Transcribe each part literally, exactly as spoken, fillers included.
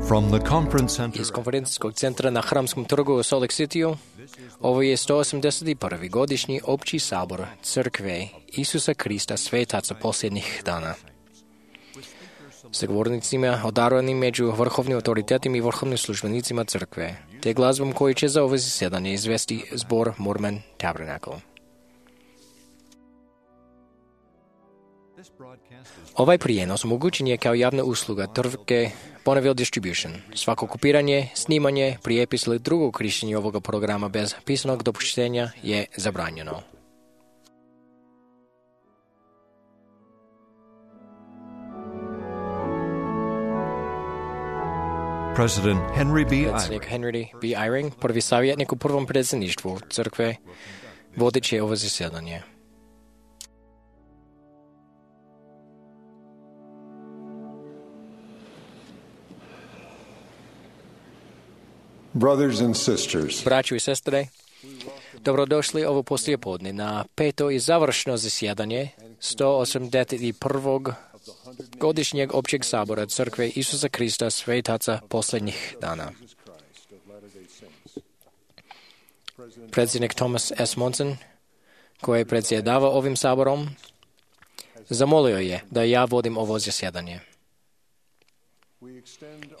From the conference center Iz konferencijskog centra na Hramskom trgu u Salt Lake Cityu, ovo je sto osamdeset prvi godišnji opći sabor Crkve Isusa Krista Svetaca posljednjih dana. Sa govornicima odarovanim među vrhovnim autoritetima i vrhovnim službenicima Crkve, te glazbom koji će za ovo zasjedanje izvesti zbor Mormon Tabernacle. Ovaj prijenos omogućen je kao javna usluga tvrtke Bonneville Distribution. Svako kopiranje, snimanje, prijepis ili drugo korištenje ovoga programa bez pisanog dopuštenja je zabranjeno. President Henry B. Predsjednik Henry B. Eyring, prvi savjetnik u prvom predsjedništvu Crkve, vodit će ovo zasjedanje. Brothers and sisters, Braćo i sestre, dobrodošli ovo poslijepodne na peto i završno zasjedanje sto osamdeset prvog godišnjeg općeg sabora Crkve Isusa Krista Svetaca posljednjih dana. Predsjednik Thomas S. Monson, koji je predsjedavao ovim saborom, zamolio je da ja vodim ovo zasjedanje.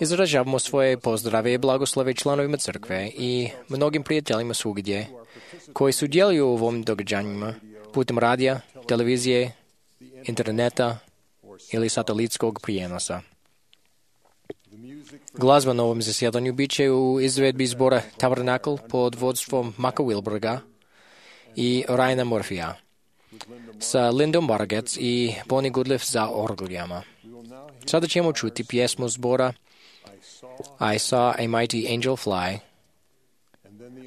Izražavamo svoje pozdrave i blagoslove članovima Crkve i mnogim prijateljima svugdje koji sudjeluju u ovim događanjima putem radija, televizije, interneta ili satelitskog prijenosa. Glazba na ovom zasjedanju bit će u izvedbi zbora Tabernacle pod vodstvom Maka Wilberga i Ryana Murphyja, sa Lindom Bargetts i Bonnie Goodliff za orglijama. Sada ćemo čuti pjesmu zbora I saw a mighty angel fly,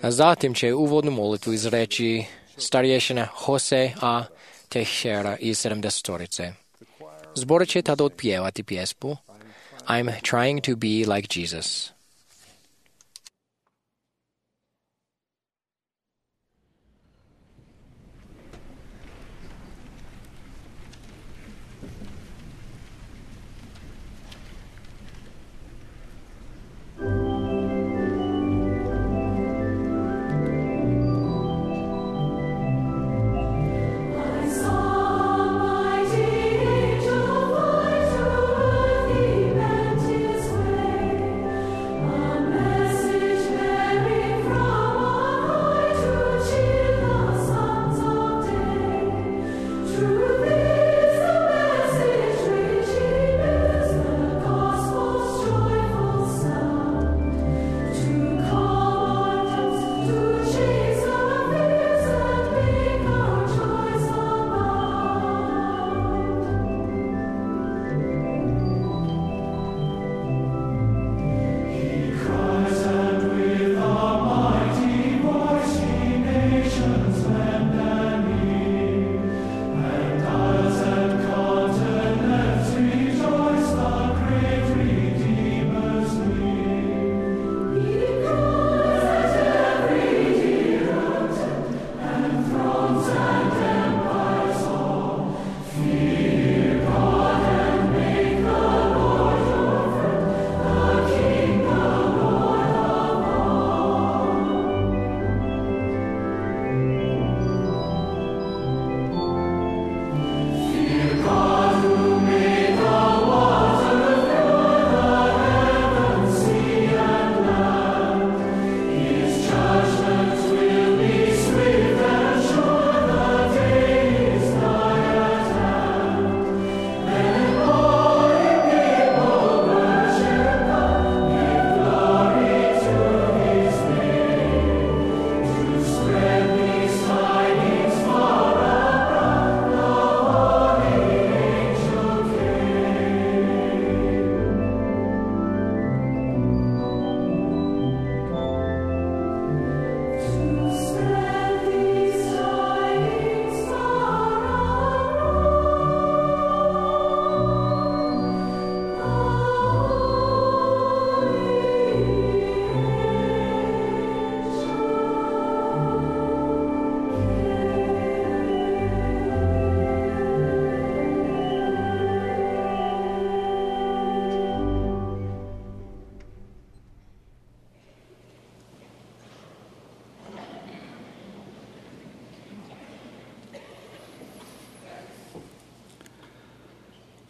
a zatim će uvodnu molitvu izreći starješina Jose A. Teixeira iz sedamdesetorice. Zbor će tada otpjevati pjesmu I'm trying to be like Jesus. Angel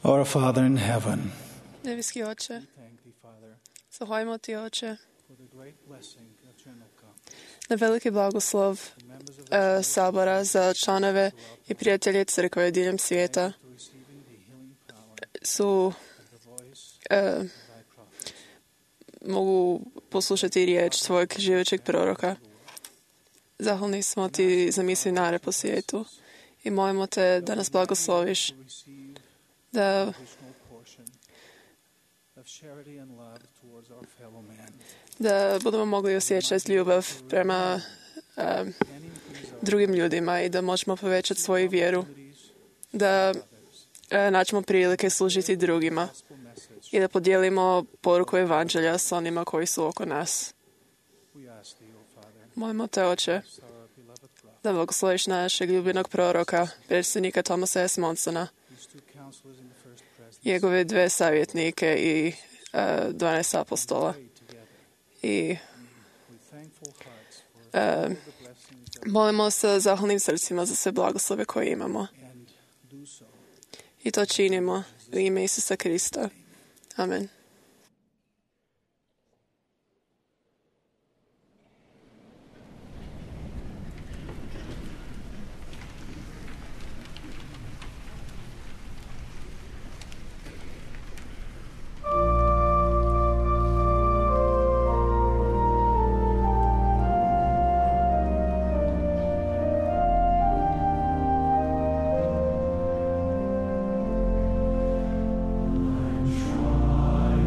Our Father in heaven, Nebeski Oče, thank thee, Father, zahvaljujemo ti, Oče, for the great blessing of General Conference. na veliki blagoslov The members of e, Sabora za članove i prijatelje crkve diljem svijeta to receiving the healing power su of the voice e, of thy prophet. mogu poslušati riječ tvojeg živećeg proroka. Zahvalni smo ti za misionare po svijetu i molimo te da nas blagosloviš, To receive da additional portion of charity and love towards our fellow man. da budemo mogli osjećati ljubav prema um, And increase our drugim ljudima i da možemo povećati svoju vjeru, abilities da e, naćemo prilike služiti drugima gospel message. i da podijelimo poruku evanđelja s onima koji su oko nas. We ask thee, O Father, Molimo te, Oče, bless our beloved prophet, da blagosloviš našeg ljubinog proroka, predsjednika Thomasa S. Monsona, these two counselors in the first presidency, njegove dve savjetnike i uh, dvanaest apostola. prayed together I with thankful hearts for e, all the blessings that molimo sa zahvalnim srcima za sve blagoslove koje imamo. and do so. I to činimo u ime Isusa Krista. Amen. Try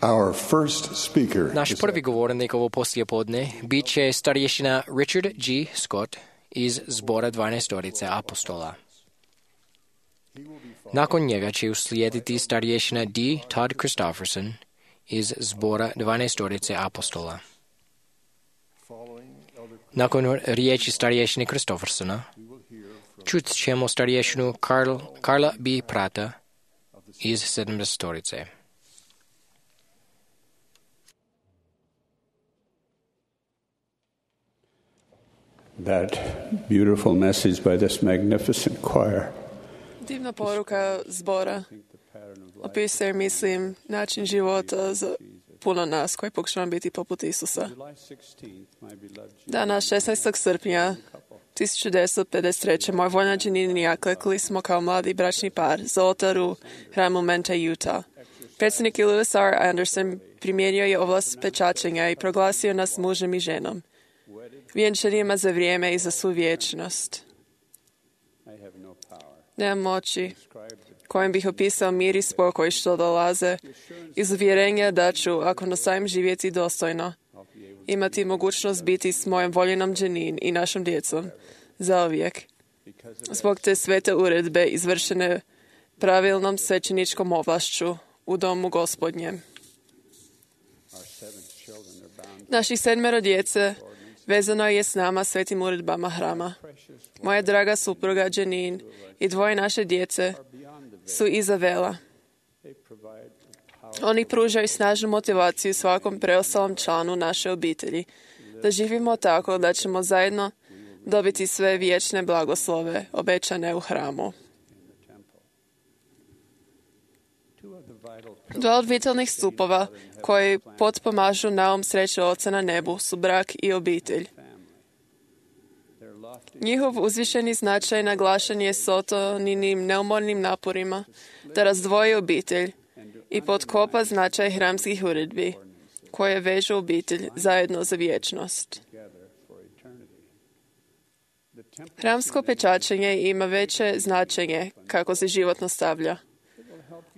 Our first speaker Naš is prvi govornik ovo poslijepodne bit će starješina Richard G. Scott iz zbora dvanaestorice apostola. Nakon njega će uslijediti starješina D. Todd Christofferson iz zbora dvanaestorice apostola. Nakon riječi starješine Christoffersona čut ćemo starješinu Karl, Karla B. Prata iz sedamdesetorice. That beautiful message by this magnificent choir. Divna poruka zbora opisuje, mislim, način života za puno nas koji pokušavamo biti poput Isusa. Dana šesnaestog srpnja tisuću devetsto pedeset treće. moj voljna Janine i ja klekli smo kao mladi bračni par za oltar u hramu Menta, Utah. Predsjednik Lewis R. Anderson primijenio je ovlast pečačenja i proglasio nas mužem i ženom, vjenčanima za vrijeme i za svu vječnost. Nemam moći kojim bih opisao mir i spokoj što dolaze iz uvjerenja da ću, ako nastavim živjeti dostojno, imati mogućnost biti s mojom voljenom Janine i našom djecom zauvijek. Zbog te svete uredbe izvršene pravilnom svećeničkom ovlašću u domu Gospodnjem. Naših sedmero djece vezano je s nama svetim uredbama hrama. Moja draga supruga Janine i dvoje naše djece su iza vela. Oni pružaju snažnu motivaciju svakom preostalom članu naše obitelji da živimo tako da ćemo zajedno dobiti sve vječne blagoslove obećane u hramu. Dva od vitalnih stupova koji potpomažu naum sreće Oca na nebu su brak i obitelj. Njihov uzvišeni značaj naglašen je Sotoninim neumornim naporima da razdvoji obitelj i potkopa značaj hramskih uredbi koje vežu obitelj zajedno za vječnost. Hramsko pečačenje ima veće značenje kako se život nastavlja.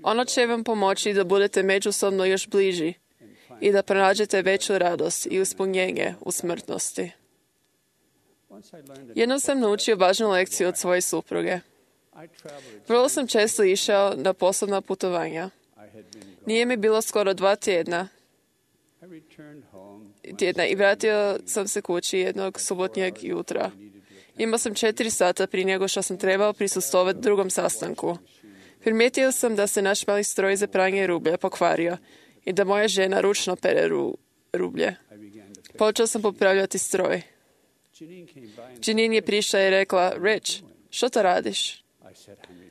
Ono će vam pomoći da budete međusobno još bliži i da pronađete veću radost i ispunjenje u smrtnosti. Jednom sam naučio važnu lekciju od svoje supruge. Vrlo sam često išao na poslovna putovanja. Nije mi bilo skoro dva tjedna, tjedna i vratio sam se kući jednog subotnjeg jutra. Imao sam četiri sata prije nego što sam trebao prisustvovati drugom sastanku. Primijetio sam da se naš mali stroj za pranje rublja pokvario i da moja žena ručno pere ru, rublje. Počeo sam popravljati stroj. Janine je prišla i rekla, Rich, što to radiš?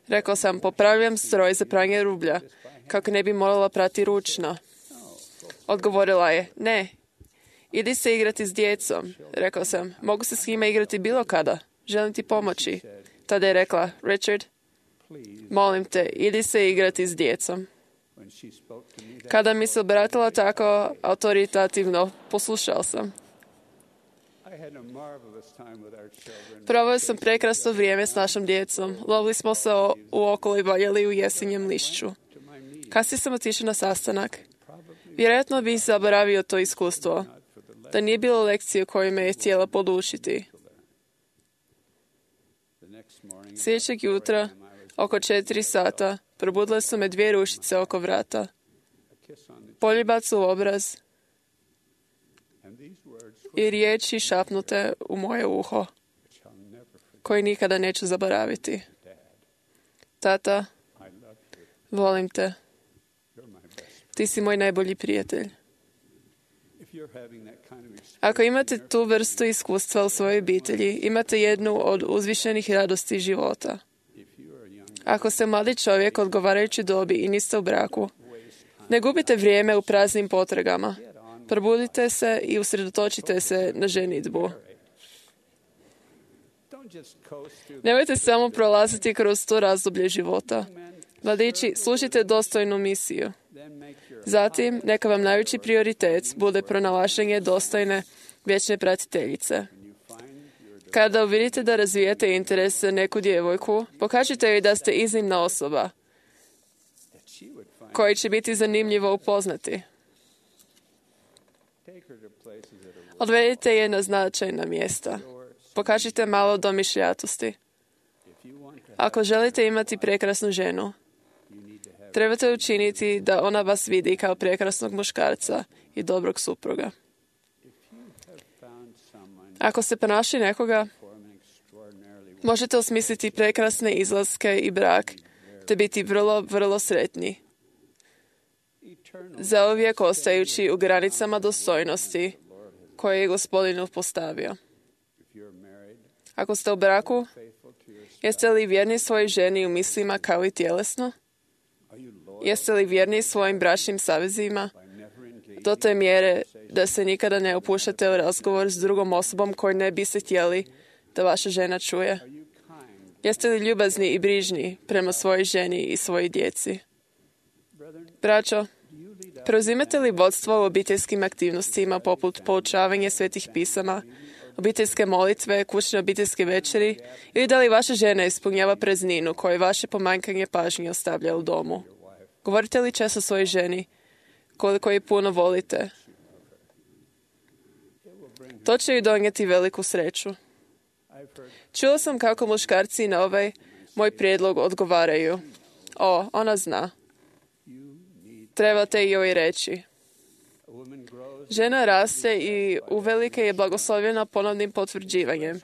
Rekao sam, popravljam stroj za pranje rublja, kako ne bi morala prati ručno. Odgovorila je, ne, idi se igrati s djecom. Rekao sam, mogu se s njima igrati bilo kada, želim ti pomoći. Tada je rekla, Richard, molim te, idi se igrati s djecom. Kada mi se obratila tako autoritativno, poslušao sam. Proveo sam prekrasno vrijeme s našom djecom. Lovili smo se u okolo i valjali u jesenjem lišću. Kasnije sam otišao na sastanak. Vjerojatno bih zaboravio to iskustvo, da nije bilo lekcije koje me je htjela podučiti. Sljedećeg jutra, oko četiri sata, probudile su me dvije rušice oko vrata. Poljubac u obraz i riječi šapnute u moje uho, koje nikada neću zaboraviti. Tata, volim te. Ti si moj najbolji prijatelj. Ako imate tu vrstu iskustva u svojoj obitelji, imate jednu od uzvišenih radosti života. Ako ste mladi čovjek odgovarajući dobi i niste u braku, ne gubite vrijeme u praznim potragama. Probudite se i usredotočite se na ženidbu. Nemojte samo prolaziti kroz to razdoblje života. Mladići, slušajte dostojnu misiju. Zatim, neka vam najveći prioritet bude pronalaženje dostojne vječne pratiteljice. Kada uvidite da razvijate interes za neku djevojku, pokažite joj da ste iznimna osoba, koji će biti zanimljivo upoznati. Odvedite je na značajna mjesta. Pokažite malo domišljatosti. Ako želite imati prekrasnu ženu, trebate učiniti da ona vas vidi kao prekrasnog muškarca i dobrog supruga. Ako ste pronašli nekoga, možete osmisliti prekrasne izlaske i brak, te biti vrlo, vrlo sretni. Zauvijek ostajući u granicama dostojnosti koje je Gospodin postavio. Ako ste u braku, jeste li vjerni svojoj ženi u mislima kao i tjelesno? Jeste li vjerni svojim bračnim savezima do te mjere da se nikada ne upuštate u razgovor s drugom osobom koju ne biste htjeli da vaša žena čuje? Jeste li ljubazni i brižni prema svojoj ženi i svojoj djeci? Braćo, preuzimate li vodstvo u obiteljskim aktivnostima poput poučavanja svetih pisama, obiteljske molitve, kućne obiteljske večeri, ili da li vaša žena ispunjava prazninu koju vaše pomanjkanje pažnje ostavlja u domu? Govorite li često svojoj ženi koliko je puno volite? To će joj donijeti veliku sreću. Čuo sam kako muškarci na ovaj moj prijedlog odgovaraju. O, ona zna. Trebate joj reći. Žena raste i uvelike je blagoslovljena ponovnim potvrđivanjem.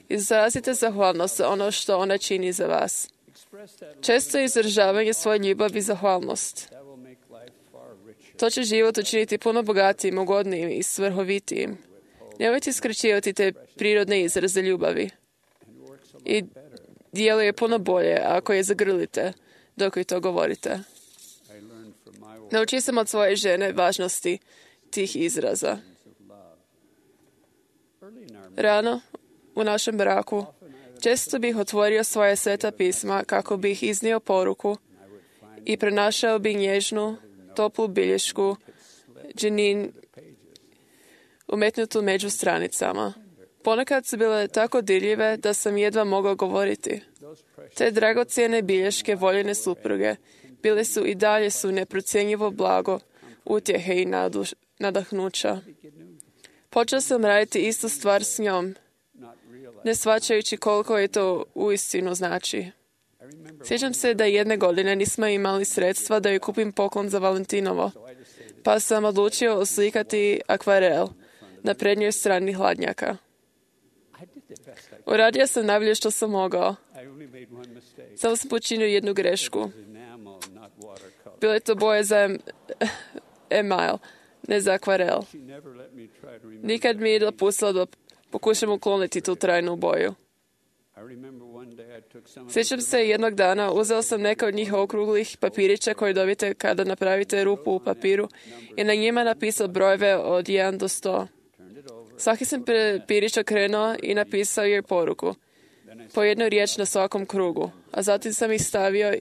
Izrazite zahvalnost za ono što ona čini za vas. Često izražavanje svoje ljubavi i zahvalnost. To će život učiniti puno bogatijim, ugodnijim i svrhovitijim. Nemojte skraćivati te prirodne izraze ljubavi. I djeluje puno bolje ako je zagrlite dok joj to govorite. Naučio sam od svoje žene važnosti tih izraza. Rano u našem braku često bih otvorio svoje sveta pisma kako bih iznio poruku i prenašao bih nježnu, toplu bilješku Janine umetnutu među stranicama. Ponekad su bile tako dirljive da sam jedva mogao govoriti. Te dragocjene bilješke voljene supruge bile su i dalje su neprocjenjivo blago, utjehe i naduš, nadahnuća. Počeo sam raditi istu stvar s njom, ne shvaćajući koliko je to uistinu znači. Sjećam se da jedne godine nismo imali sredstva da joj kupim poklon za Valentinovo, pa sam odlučio oslikati akvarel na prednjoj strani hladnjaka. Uradio sam najbolje što sam mogao. Samo sam počinio jednu grešku. Bilo je to boje za email, ne za akvarel. Nikad mi je dopustila da pokušam ukloniti tu trajnu boju. Sjećam se jednog dana, uzeo sam neka od njih okruglih papirića koje dobijete kada napravite rupu u papiru i na njima napisao brojeve od jedan do sto. Svaki sam papirić okrenuo i napisao joj poruku. Po jednu riječ na svakom krugu. A zatim sam ih stavio,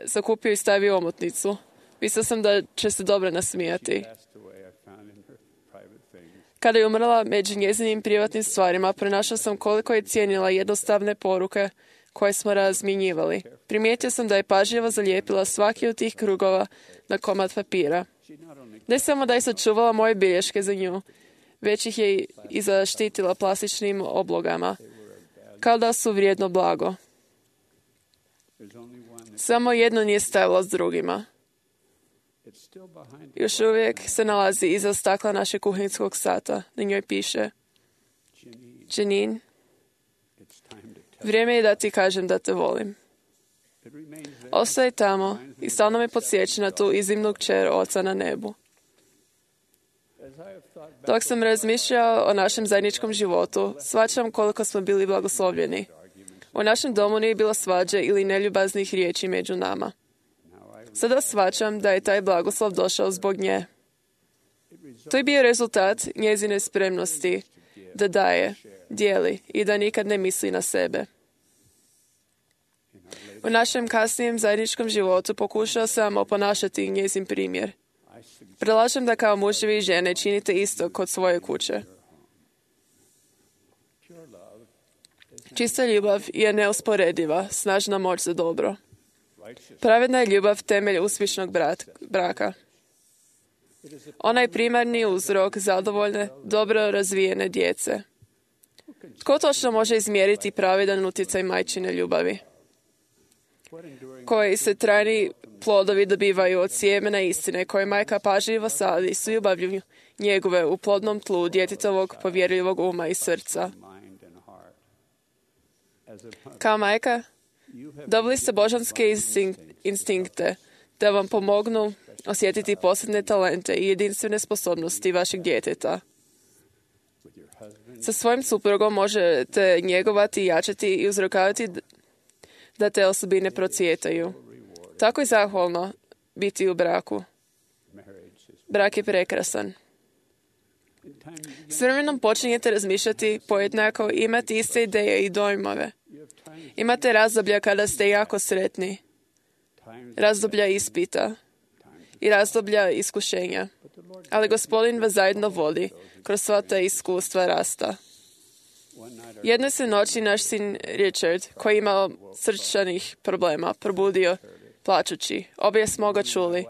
zakupio i stavio omotnicu. Mislio sam da će se dobro nasmijati. Kada je umrla, među njezinim privatnim stvarima pronašao sam koliko je cijenila jednostavne poruke koje smo razmjenjivali. Primijetio sam da je pažljivo zalijepila svaki od tih krugova na komad papira. Ne samo da je sačuvala moje bilješke za nju, već ih je i zaštitila plastičnim oblogama, kao da su vrijedno blago. Samo jedno nije stavila s drugima. Još uvijek se nalazi iza stakla našeg kuhinskog sata. Na njoj piše: Janine, vrijeme je da ti kažem da te volim. Ostaje tamo i stalno me podsjeća na tu iznimnu kćer Oca na nebu. Dok sam razmišljao o našem zajedničkom životu, shvaćam koliko smo bili blagoslovljeni. U našem domu nije bilo svađe ili neljubaznih riječi među nama. Sada shvaćam da je taj blagoslov došao zbog nje. To je bio rezultat njezine spremnosti da daje, dijeli i da nikad ne misli na sebe. U našem kasnijem zajedničkom životu pokušao sam oponašati njezin primjer. Predlažem da kao muževi i žene činite isto kod svoje kuće. Čista ljubav je neusporediva, snažna moć za dobro. Pravedna je ljubav temelj uspješnog braka. Ona je primarni uzrok zadovoljne, dobro razvijene djece. Tko točno može izmjeriti pravedan utjecaj majčine ljubavi? Koji se trajni plodovi dobivaju od sjemena istine koje majka pažljivo sadi s ljubavlju njegove u plodnom tlu djetetovog povjerljivog uma i srca. Kao majka, dobili ste božanske instink- instinkte da vam pomognu osjetiti posebne talente i jedinstvene sposobnosti vašeg djeteta. Sa svojim suprugom možete njegovati, jačati i uzrokavati da te osobine procvjetaju. Tako je zahvalno biti u braku. Brak je prekrasan. S vremenom počinjete razmišljati pojednako i imati iste ideje i dojmove. Imate razdoblja kada ste jako sretni, razdoblja ispita i razdoblja iskušenja. Ali Gospodin vas zajedno vodi kroz sva ta iskustva rasta. Jedne se noći naš sin Richard, koji je imao srčanih problema, probudio plačući. Obje smo ga čuli.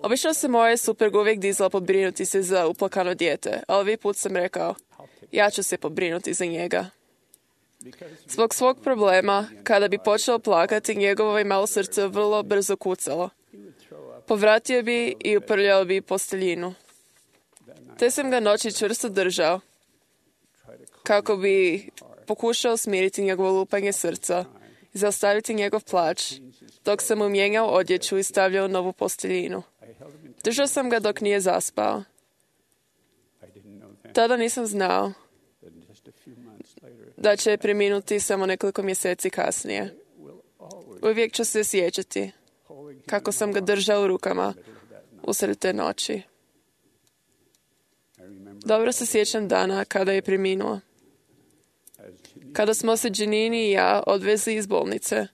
Obično se moja supruga uvijek dizala pobrinuti se za uplakano dijete, ali ovaj put sam rekao, ja ću se pobrinuti za njega. Zbog svog problema, kada bi počeo plakati, njegovo je malo srce vrlo brzo kucalo. Povratio bi i uprljao bi posteljinu. Te sam ga noći čvrsto držao, kako bi pokušao smiriti njegovo lupanje srca i zaustaviti njegov plač, dok sam mu mijenjao odjeću i stavljao novu posteljinu. Držao sam ga dok nije zaspao. Tada nisam znao da će preminuti samo nekoliko mjeseci kasnije. Uvijek ću se sjećati kako sam ga držao u rukama usred te noći. Dobro se sjećam dana kada je preminuo. Kada smo se Janine i ja odvezli iz bolnice,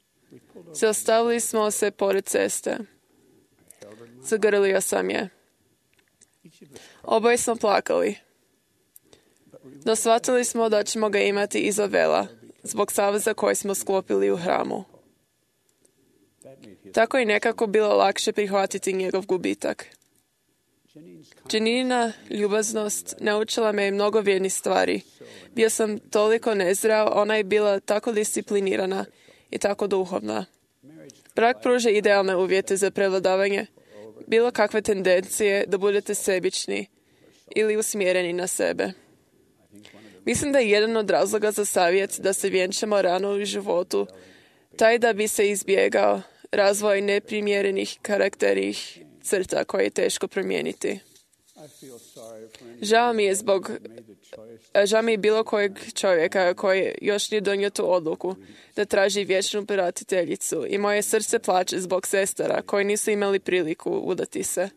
zaustavili smo se pored ceste. Zagrlio sam je. Oboje smo plakali. No shvatili smo da ćemo ga imati iza vela, zbog saveza koji smo sklopili u hramu. Tako je nekako bilo lakše prihvatiti njegov gubitak. Janina ljubaznost naučila me mnogo vrijednih stvari. Bio sam toliko nezdrav, ona je bila tako disciplinirana i tako duhovna. Brak pruža idealne uvjete za prevladavanje bilo kakve tendencije da budete sebični ili usmjereni na sebe. Mislim da je jedan od razloga za savjet da se vjenčamo rano u životu taj da bi se izbjegao razvoj neprimjerenih karakternih crta koje je teško promijeniti. Žao mi je zbog žao mi je bilo kojeg čovjeka koji još nije donio tu odluku da traži vječnu pratiteljicu i moje srce plače zbog sestara koji nisu imali priliku udati se.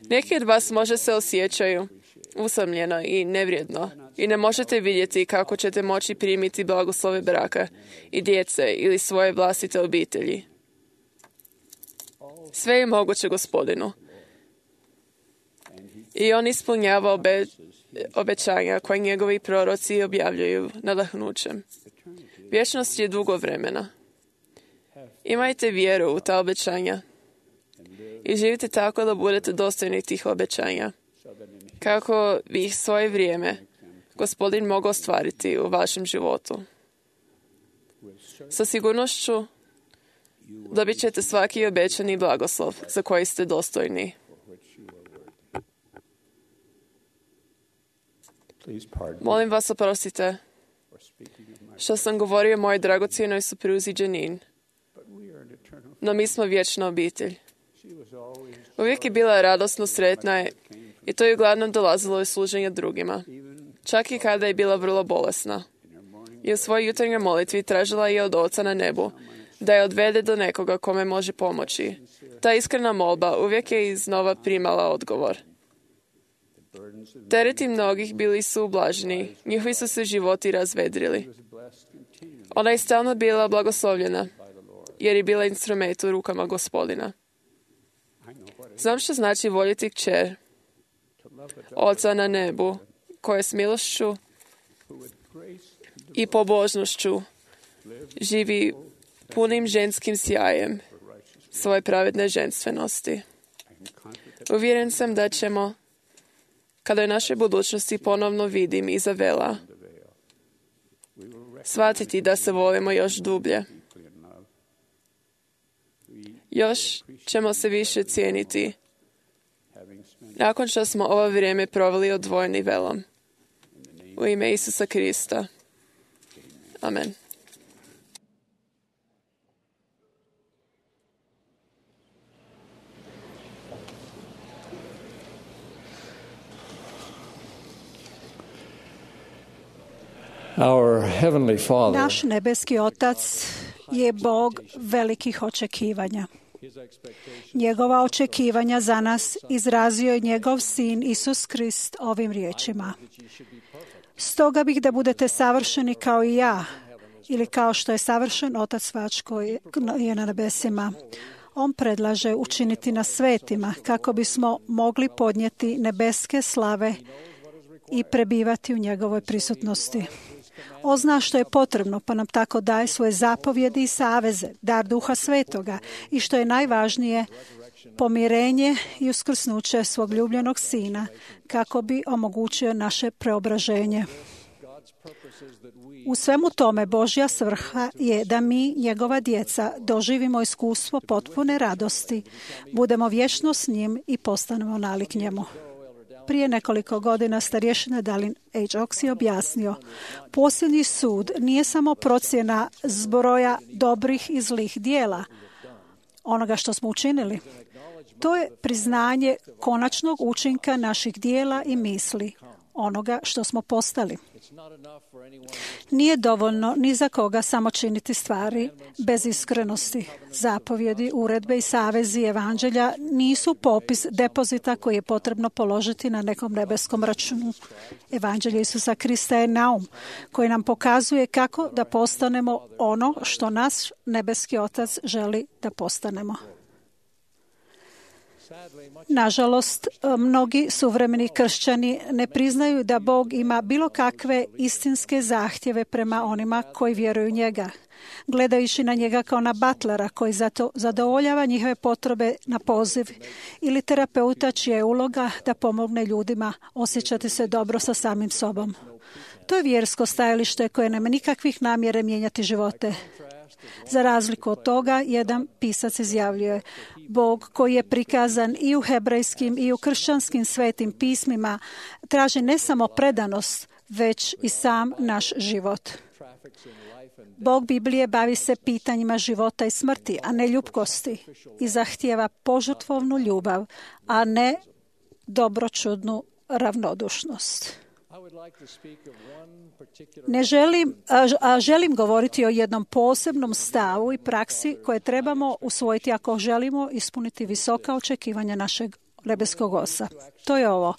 Neki od vas možda se osjećaju usamljeno i nevrijedno i ne možete vidjeti kako ćete moći primiti blagoslove braka i djece ili svoje vlastite obitelji. Sve je moguće Gospodinu. I on ispunjava obe, obećanja koje njegovi proroci objavljuju nadahnućem. Vječnost je dugo vremena. Imajte vjeru u ta obećanja i živite tako da budete dostojni tih obećanja, kako bi ih svoje vrijeme Gospodin mogao ostvariti u vašem životu. Sa sigurnošću dobit ćete svaki obećani blagoslov za koji ste dostojni. Molim vas oprostite što sam govorio o mojoj dragocjenoj supruzi Janine. No mi smo vječna obitelj. Uvijek je bila radosno sretna i to je uglavnom dolazilo iz služenja drugima. Čak i kada je bila vrlo bolesna. I u svojoj jutarnjoj molitvi tražila je od Oca na nebu da je odvede do nekoga kome može pomoći. Ta iskrena molba uvijek je iznova primala odgovor. Tereti mnogih bili su ublaženi, njihovi su se životi razvedrili. Ona je stalno bila blagoslovljena, jer je bila instrument u rukama Gospodina. Znam što znači voljeti kćer, Oca na nebu, koja s milošću i pobožnošću živi punim ženskim sjajem svoje pravedne ženstvenosti. Uvjeren sam da ćemo, kada je naše budućnosti ponovno vidim iza vela, shvatiti da se volimo još dublje. Još ćemo se više cijeniti nakon što smo ovo vrijeme proveli odvojeni velom. U ime Isusa Krista. Amen. Our Heavenly Father, Naš nebeski Otac je Bog velikih očekivanja. Njegova očekivanja za nas izrazio je njegov sin Isus Krist ovim riječima. Stoga bih da budete savršeni kao i ja, ili kao što je savršen Otac vaš koji je na nebesima. On predlaže učiniti nas svetima kako bismo mogli podnijeti nebeske slave i prebivati u njegovoj prisutnosti. On zna što je potrebno, pa nam tako daje svoje zapovjedi i saveze, dar Duha Svetoga i što je najvažnije, pomirenje i uskrsnuće svog ljubljenog Sina kako bi omogućio naše preobraženje. U svemu tome Božja svrha je da mi, njegova djeca, doživimo iskustvo potpune radosti, budemo vječno s njim i postanemo nalik njemu. Prije nekoliko godina starješina Dallin H. Oaks je objasnio, posljednji sud nije samo procjena zbroja dobrih i zlih dijela, onoga što smo učinili. To je priznanje konačnog učinka naših dijela i misli, onoga što smo postali. Nije dovoljno ni za koga samo činiti stvari bez iskrenosti. Zapovjedi, uredbe i savezi evanđelja nisu popis depozita koji je potrebno položiti na nekom nebeskom računu. Evanđelje Isusa Krista je naum koji nam pokazuje kako da postanemo ono što naš nebeski Otac želi da postanemo. Nažalost, mnogi suvremeni kršćani ne priznaju da Bog ima bilo kakve istinske zahtjeve prema onima koji vjeruju njega, gledajući na njega kao na butlera koji zato zadovoljava njihove potrebe na poziv ili terapeuta čija je uloga da pomogne ljudima osjećati se dobro sa samim sobom. To je vjersko stajalište koje nema nikakvih namjere mijenjati živote. Za razliku od toga, jedan pisac izjavljuje, Bog koji je prikazan i u hebrejskim i u kršćanskim svetim pismima traži ne samo predanost, već i sam naš život. Bog Biblije bavi se pitanjima života i smrti, a ne ljubkosti, i zahtijeva požrtvovnu ljubav, a ne dobročudnu ravnodušnost. Ne želim, a želim govoriti o jednom posebnom stavu i praksi koje trebamo usvojiti ako želimo ispuniti visoka očekivanja našeg nebeskog Oca. To je ovo.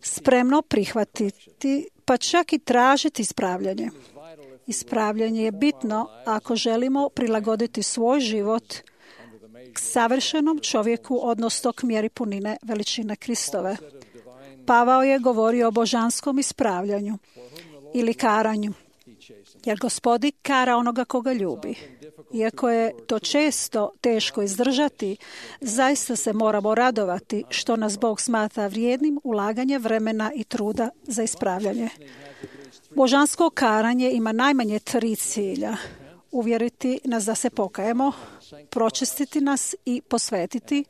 Spremno prihvatiti, pa čak i tražiti ispravljanje. Ispravljanje je bitno ako želimo prilagoditi svoj život k savršenom čovjeku, odnosno k mjeri punine veličine Kristove. Pavao je govorio o božanskom ispravljanju ili karanju, jer Gospodin kara onoga koga ljubi. Iako je to često teško izdržati, zaista se moramo radovati što nas Bog smatra vrijednim ulaganje vremena i truda za ispravljanje. Božansko karanje ima najmanje tri cilja. Uvjeriti nas da se pokajemo, pročistiti nas i posvetiti,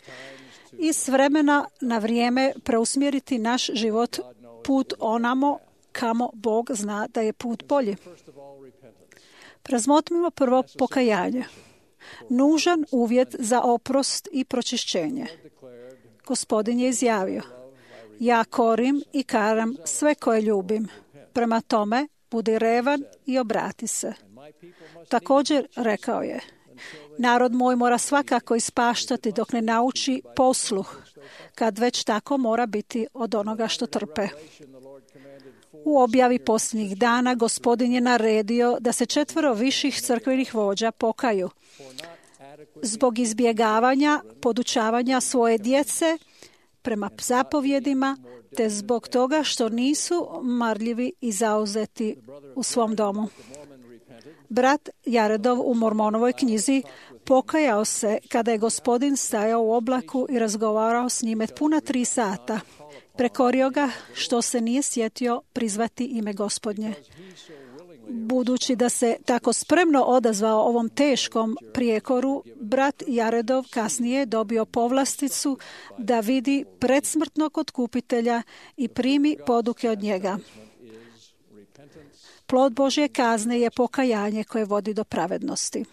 i s vremena na vrijeme preusmjeriti naš život put onamo kamo Bog zna da je put bolji. Razmotrimo prvo pokajanje. Nužan uvjet za oprost i pročišćenje. Gospodin je izjavio, ja korim i karam sve koje ljubim. Prema tome, budi revan i obrati se. Također rekao je, narod moj mora svakako ispaštati dok ne nauči posluh, kad već tako mora biti od onoga što trpe. U objavi posljednjih dana Gospodin je naredio da se četvero viših crkvenih vođa pokaju zbog izbjegavanja podučavanja svoje djece prema zapovjedima, te zbog toga što nisu marljivi i zauzeti u svom domu. Brat Jaredov u Mormonovoj knjizi pokajao se kada je Gospodin stajao u oblaku i razgovarao s njime puna tri sata. Prekorio ga što se nije sjetio prizvati ime Gospodnje. Budući da se tako spremno odazvao ovom teškom prijekoru, brat Jaredov kasnije je dobio povlasticu da vidi predsmrtnog otkupitelja i primi poduke od njega. Plod Božje kazne je pokajanje koje vodi do pravednosti.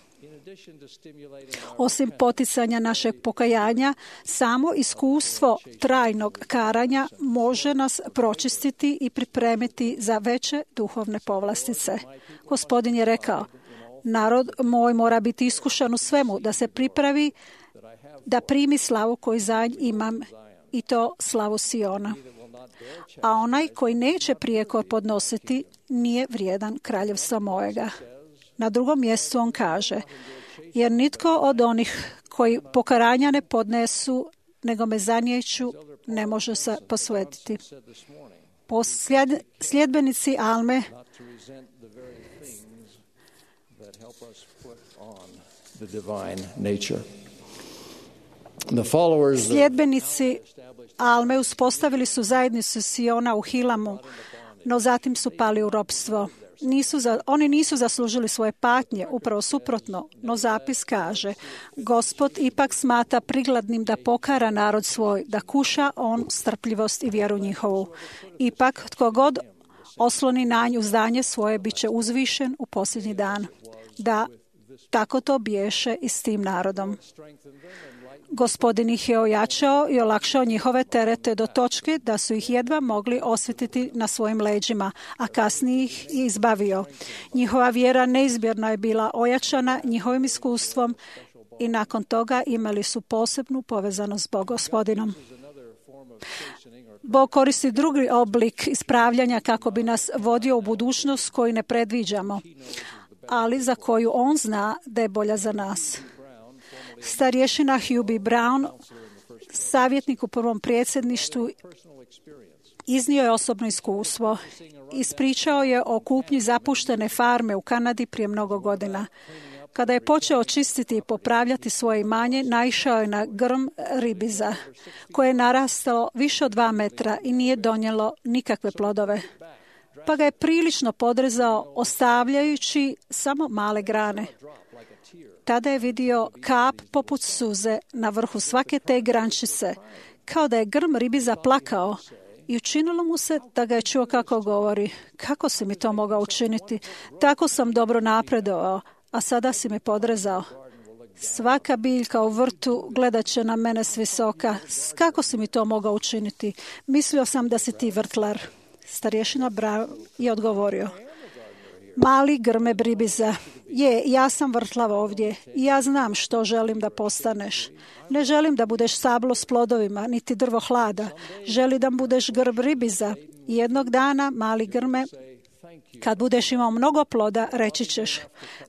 Osim poticanja našeg pokajanja, samo iskustvo trajnog karanja može nas pročistiti i pripremiti za veće duhovne povlastice. Gospodin je rekao, narod moj mora biti iskušan u svemu, da se pripravi da primi slavu koju za nj imam, i to slavu Siona. A onaj koji neće prijekor podnositi nije vrijedan kraljevstva mojega. Na drugom mjestu on kaže, jer nitko od onih koji pokaranja ne podnesu, nego me zaniječu, ne može se posvetiti. Posljed, sljedbenici Alme Sljedbenici Alme uspostavili su zajednicu Siona u Hilamu, no zatim su pali u ropstvo. Nisu za, oni nisu zaslužili svoje patnje, upravo suprotno, no zapis kaže, Gospod ipak smatra prigladnim da pokara narod svoj, da kuša on strpljivost i vjeru njihovu. Ipak, tko god osloni na nju uzdanje svoje, bit će uzvišen u posljednji dan. Da, tako to biješe i s tim narodom. Gospodin ih je ojačao i olakšao njihove terete do točke da su ih jedva mogli osjetiti na svojim leđima, a kasnije ih je izbavio. Njihova vjera neizmjerno je bila ojačana njihovim iskustvom i nakon toga imali su posebnu povezanost s Gospodinom. Bog koristi drugi oblik ispravljanja kako bi nas vodio u budućnost koju ne predviđamo, ali za koju on zna da je bolja za nas. Starješina Hugh B. Brown, savjetnik u prvom predsjedništvu, iznio je osobno iskustvo. Ispričao je o kupnji zapuštene farme u Kanadi prije mnogo godina. Kada je počeo čistiti i popravljati svoje imanje, naišao je na grm ribiza, koje je narastalo više od dva metra i nije donijelo nikakve plodove. Pa ga je prilično podrezao, ostavljajući samo male grane. Tada je vidio kap poput suze na vrhu svake te grančice, kao da je grm ribiza plakao, i učinilo mu se da ga je čuo kako govori. Kako si mi to mogao učiniti? Tako sam dobro napredovao, a sada si me podrezao. Svaka biljka u vrtu gledat će na mene s visoka. Kako si mi to mogao učiniti? Mislio sam da si ti vrtlar. Starješina Brown je odgovorio. Mali grme ribiza, je, ja sam vrtlav ovdje i ja znam što želim da postaneš. Ne želim da budeš stablo s plodovima, niti drvo hlada. Želim da budeš grb ribiza. I jednog dana, mali grme, kad budeš imao mnogo ploda, reći ćeš,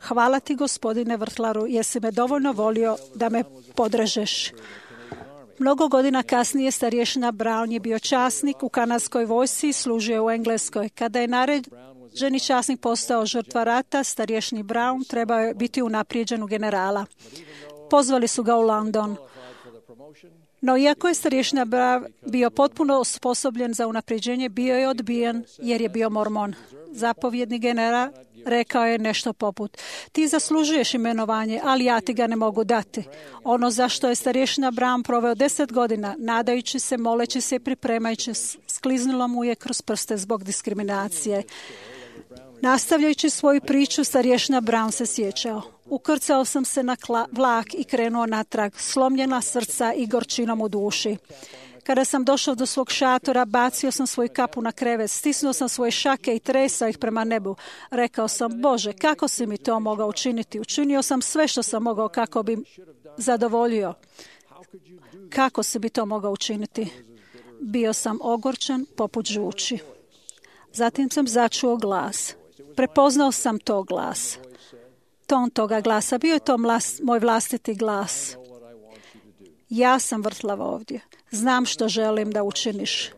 hvala ti gospodine vrtlaru, jesi me dovoljno volio da me podrežeš. Mnogo godina kasnije starješina Brown je bio časnik u kanadskoj vojsci i služio u Engleskoj. Kada je naređeni časnik postao žrtva rata, starješini Brown trebao je biti unaprijeđen u generala. Pozvali su ga u London. No iako je starješina Brown bio potpuno osposobljen za unaprijeđenje, bio je odbijen jer je bio mormon. Zapovjedni general rekao je nešto poput, ti zaslužuješ imenovanje, ali ja ti ga ne mogu dati. Ono zašto je starješina Brown proveo deset godina, nadajući se, moleći se i pripremajući, skliznulo mu je kroz prste zbog diskriminacije. Nastavljajući svoju priču, starješina Brown se sjećao. Ukrcao sam se na vlak i krenuo natrag, slomljena srca i gorčinom u duši. Kada sam došao do svog šatora, bacio sam svoju kapu na krevet, stisnuo sam svoje šake i tresao ih prema nebu. Rekao sam, Bože, kako si mi to mogao učiniti? Učinio sam sve što sam mogao kako bi zadovoljio. Kako si bi to mogao učiniti? Bio sam ogorčan poput žuči. Zatim sam začuo glas. Prepoznao sam to glas. Ton toga glasa. Bio je to mlas, moj vlastiti glas. Ja sam vrtlav ovdje. Znam što želim da učiniš.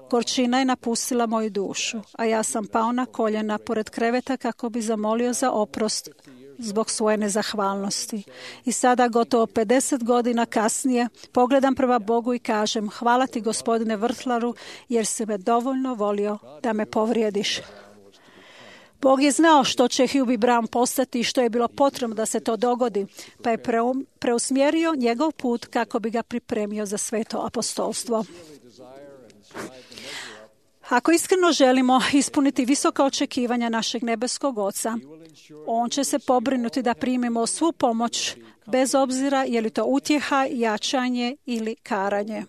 Gorčina je napustila moju dušu, a ja sam pao na koljena pored kreveta kako bi zamolio za oprost zbog svoje nezahvalnosti. I sada, gotovo pedeset godina kasnije, pogledam prema Bogu i kažem: hvala ti, gospodine Vrtlaru, jer si me dovoljno volio da me povrijediš. Bog je znao što će Hugh Brown postati i što je bilo potrebno da se to dogodi, pa je preusmjerio njegov put kako bi ga pripremio za sveto apostolstvo. Ako iskreno želimo ispuniti visoka očekivanja našeg nebeskog Oca, On će se pobrinuti da primimo svu pomoć, bez obzira je li to utjeha, jačanje ili karanje.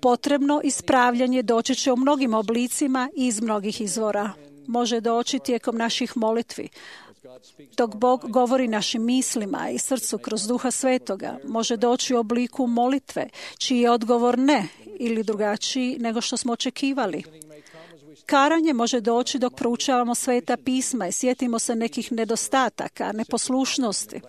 Potrebno ispravljanje doći će u mnogim oblicima i iz mnogih izvora. Može doći tijekom naših molitvi, dok Bog govori našim mislima i srcu kroz Duha Svetoga. Može doći u obliku molitve, čiji je odgovor ne ili drugačiji nego što smo očekivali. Karanje može doći dok proučavamo Sveta pisma i sjetimo se nekih nedostataka, neposlušnosti.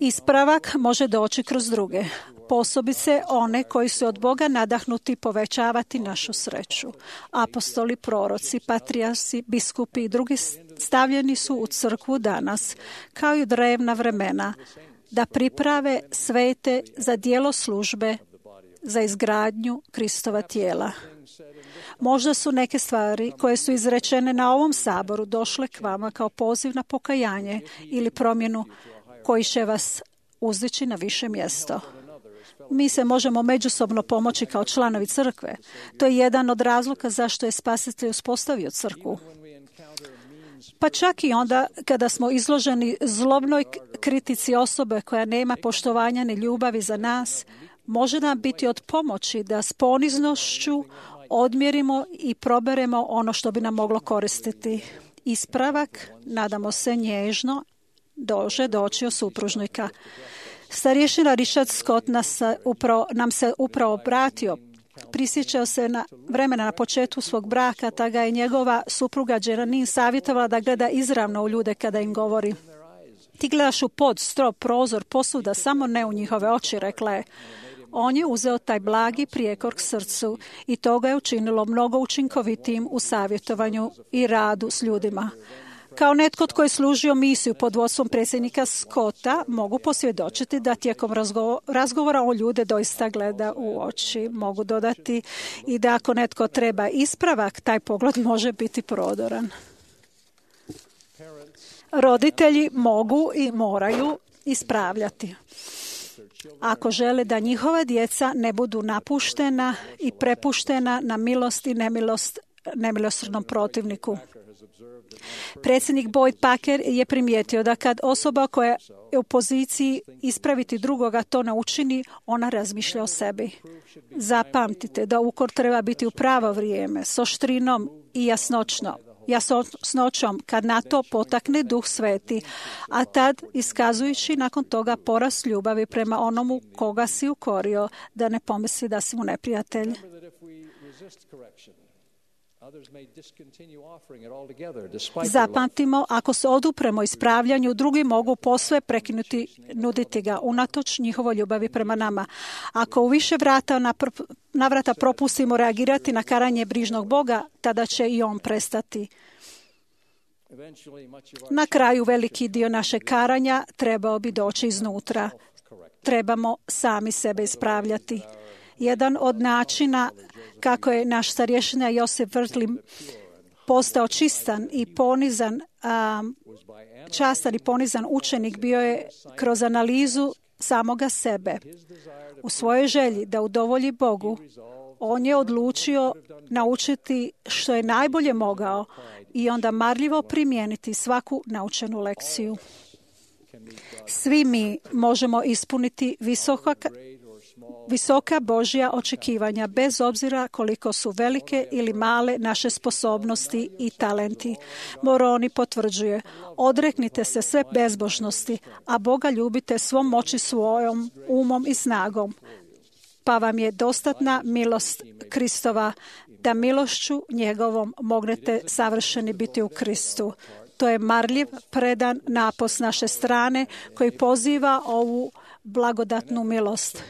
Ispravak može doći kroz druge, posebice one koji su od Boga nadahnuti povećavati našu sreću. Apostoli, proroci, patrijarsi, biskupi i drugi stavljeni su u crkvu danas, kao i u drevna vremena, da priprave svete za djelo službe, za izgradnju Kristova tijela. Možda su neke stvari koje su izrečene na ovom saboru došle k vama kao poziv na pokajanje ili promjenu koji će vas uzdići na više mjesto. Mi se možemo međusobno pomoći kao članovi crkve. To je jedan od razloga zašto je Spasitelj uspostavio crkvu. Pa čak i onda kada smo izloženi zlobnoj kritici osobe koja nema poštovanja ni ljubavi za nas, može nam biti od pomoći da s poniznošću odmjerimo i proberemo ono što bi nam moglo koristiti. Ispravak, nadamo se nježno, dože doći od supružnika. Starješina Richard Scott nas upravo, nam se upravo obratio. Prisjećao se na vremena na početku svog braka, ta ga je njegova supruga Jeranine savjetovala da gleda izravno u ljude kada im govori. Ti gledaš u pod, strop, prozor, posuda, samo ne u njihove oči, rekla je. On je uzeo taj blagi prijekor k srcu i to ga je učinilo mnogo učinkovitijim u savjetovanju i radu s ljudima. Kao netko tko je služio misiju pod vodstvom predsjednika Scotta, mogu posvjedočiti da tijekom razgovora o ljude doista gleda u oči. Mogu dodati i da ako netko treba ispravak, taj pogled može biti prodoran. Roditelji mogu i moraju ispravljati ako žele da njihova djeca ne budu napuštena i prepuštena na milost i nemilost nemilosrdnom protivniku. Predsjednik Boyd Packer je primijetio da kad osoba koja je u poziciji ispraviti drugoga to ne učini, ona razmišlja o sebi. Zapamtite da ukor treba biti u pravo vrijeme, s oštrinom i jasnoćno. jasnoćom kad na to potakne Duh Sveti, a tad iskazujući nakon toga porast ljubavi prema onomu koga si ukorio, da ne pomisli da si mu neprijatelj. Zapamtimo, ako se odupremo ispravljanju, drugi mogu posve prekinuti, nuditi ga, unatoč njihovoj ljubavi prema nama. Ako u više vrata navrata propustimo reagirati na karanje brižnog Boga, tada će i on prestati. Na kraju veliki dio našeg karanja trebao bi doći iznutra. Trebamo sami sebe ispravljati. Jedan od načina kako je naš starješina Josip Vrtli postao čistan i ponizan, um, častan i ponizan učenik bio je kroz analizu samoga sebe. U svojoj želji da udovolji Bogu, on je odlučio naučiti što je najbolje mogao i onda marljivo primijeniti svaku naučenu lekciju. Svi mi možemo ispuniti visoka Visoka Božja očekivanja, bez obzira koliko su velike ili male naše sposobnosti i talenti. Moroni potvrđuje, odreknite se sve bezbožnosti, a Boga ljubite svom moći svojom, umom i snagom. Pa vam je dostatna milost Kristova, da milošću njegovom mognete savršeni biti u Kristu. To je marljiv, predan napos naše strane koji poziva ovu blagodatnu milost.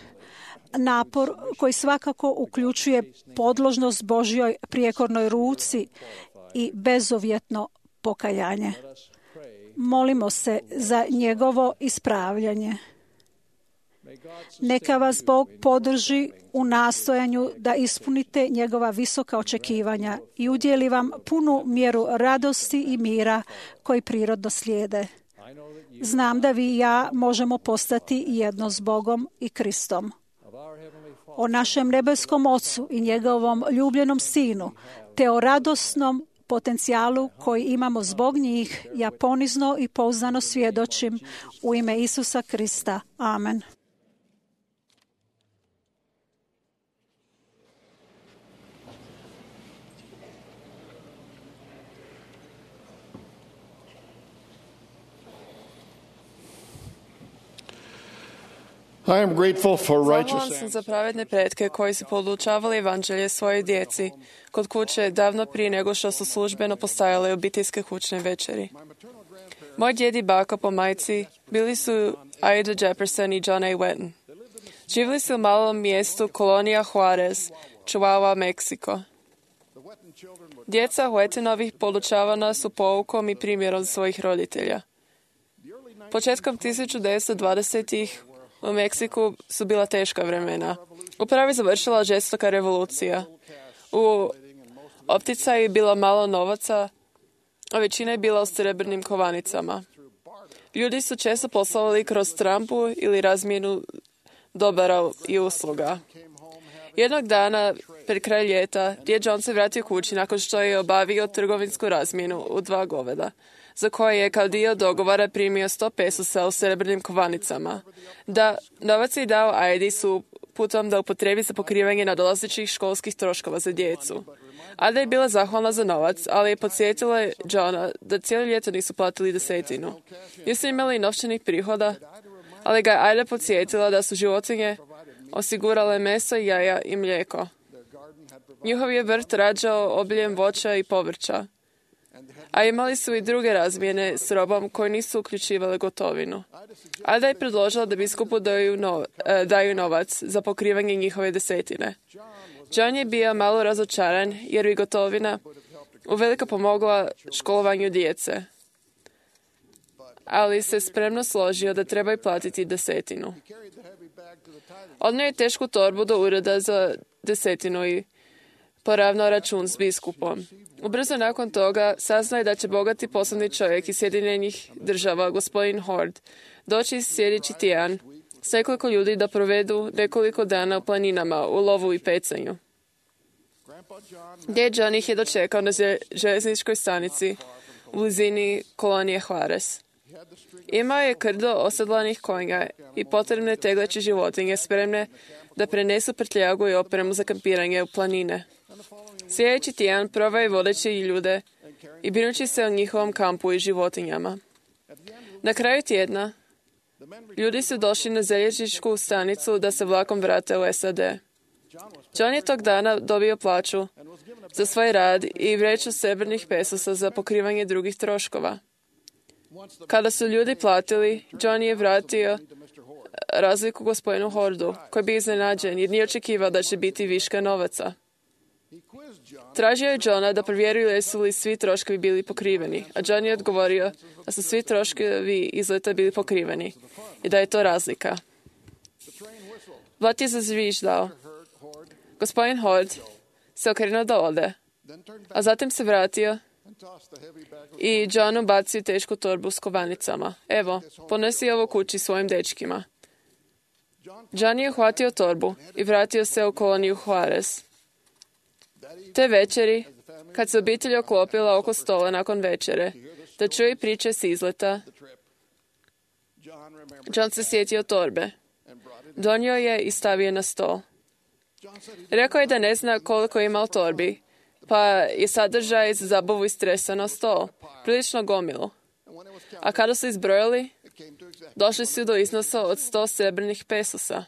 napor koji svakako uključuje podložnost Božjoj prijekornoj ruci i bezuvjetno pokajanje. Molimo se za njegovo ispravljanje. Neka vas Bog podrži u nastojanju da ispunite njegova visoka očekivanja i udjeli vam punu mjeru radosti i mira koji prirodno slijede. Znam da vi i ja možemo postati jedno s Bogom i Kristom. O našem nebeskom Ocu i njegovom ljubljenom Sinu, te o radosnom potencijalu koji imamo zbog njih, ja ponizno i pouzdano svjedočim u ime Isusa Krista. Amen. I am grateful for Zahvalan righteous sam za pravedne pretke koji su podučavali evanđelje svojoj djeci kod kuće davno prije nego što su službeno postajale obiteljske kućne večeri. Moj djed i baka po majci bili su Ida Jefferson i John A. Wetton. Živjeli su u malom mjestu kolonija Juarez, Chihuahua, Meksiko. Djeca Wettonovih podučavana su poukom i primjerom svojih roditelja. Početkom tisuću devetsto dvadesetih u Meksiku su bila teška vremena. Upravo je završila žestoka revolucija. U opticaju je bilo malo novaca, a većina je bila u srebrnim kovanicama. Ljudi su često poslovali kroz trampu ili razmjenu dobara i usluga. Jednog dana, pred kraj ljeta, djed John se vratio kući nakon što je obavio trgovinsku razmjenu u dva goveda, za koje je kao dio dogovora primio sto pesosa u srebrnim kovanicama. Da, novac je dao Aidi su putom da upotrebi za pokrivanje nadolazećih školskih troškova za djecu. Ada je bila zahvalna za novac, ali je podsjetila Johna da cijelo ljeto nisu platili desetinu. Nisu imali novčanih prihoda, ali ga je Aida podsjetila da su životinje osigurale meso, jaja i mlijeko. Njihov je vrt rađao obiljem voća i povrća, a imali su i druge razmjene s robom koje nisu uključivale gotovinu. Ada je predložila da biskupu daju, nov, eh, daju novac za pokrivanje njihove desetine. John je bio malo razočaran jer bi gotovina uveliko pomogla školovanju djece, ali se spremno složio da trebaju platiti desetinu. Odnio je tešku torbu do ureda za desetinu i poravnao račun s biskupom. Ubrzo nakon toga saznao je da će bogati poslovni čovjek iz Sjedinjenih država, gospodin Hord, doći sljedeći tjedan s nekoliko ljudi da provedu nekoliko dana u planinama, u lovu i pecanju. Djed John ih je dočekao na željezničkoj stanici u blizini kolonije Juarez. Imao je krdo osedlanih konja i potrebne tegleće životinje spremne da prenesu prtljagu i opremu za kampiranje u planine. Sljedeći tjedan provao je vodeći ljude i brinući se o njihovom kampu i životinjama. Na kraju tjedna ljudi su došli na željezničku stanicu da se vlakom vrate u S A D. John je tog dana dobio plaću za svoj rad i vreću srebrnih pesosa za pokrivanje drugih troškova. Kada su ljudi platili, John je vratio razliku gospodinu Hordu, koji bi iznenađen jer nije očekivao da će biti viška novaca. Tražio je Johna da provjeruje jesu li svi troškovi bili pokriveni, a John je odgovorio da su svi troškovi izleta bili pokriveni i da je to razlika. Vlak je zazviždao. Gospodin Hord se okrenuo da ode, a zatim se vratio i John ubacio tešku torbu s kovanicama. Evo, ponesi ovo kući svojim dečkima. John je uhvatio torbu i vratio se u koloniju Juarez. Te večeri, kad se obitelj oklopila oko stola nakon večere, da čuje priče s izleta, John se sjetio torbe. Donio je i stavio na stol. Rekao je da ne zna koliko je imao torbi, pa je sadržaj za zabavu i stresa na stol, prilično gomilu. A kada su izbrojali, došli su do iznosa od sto srebrnih pesosa.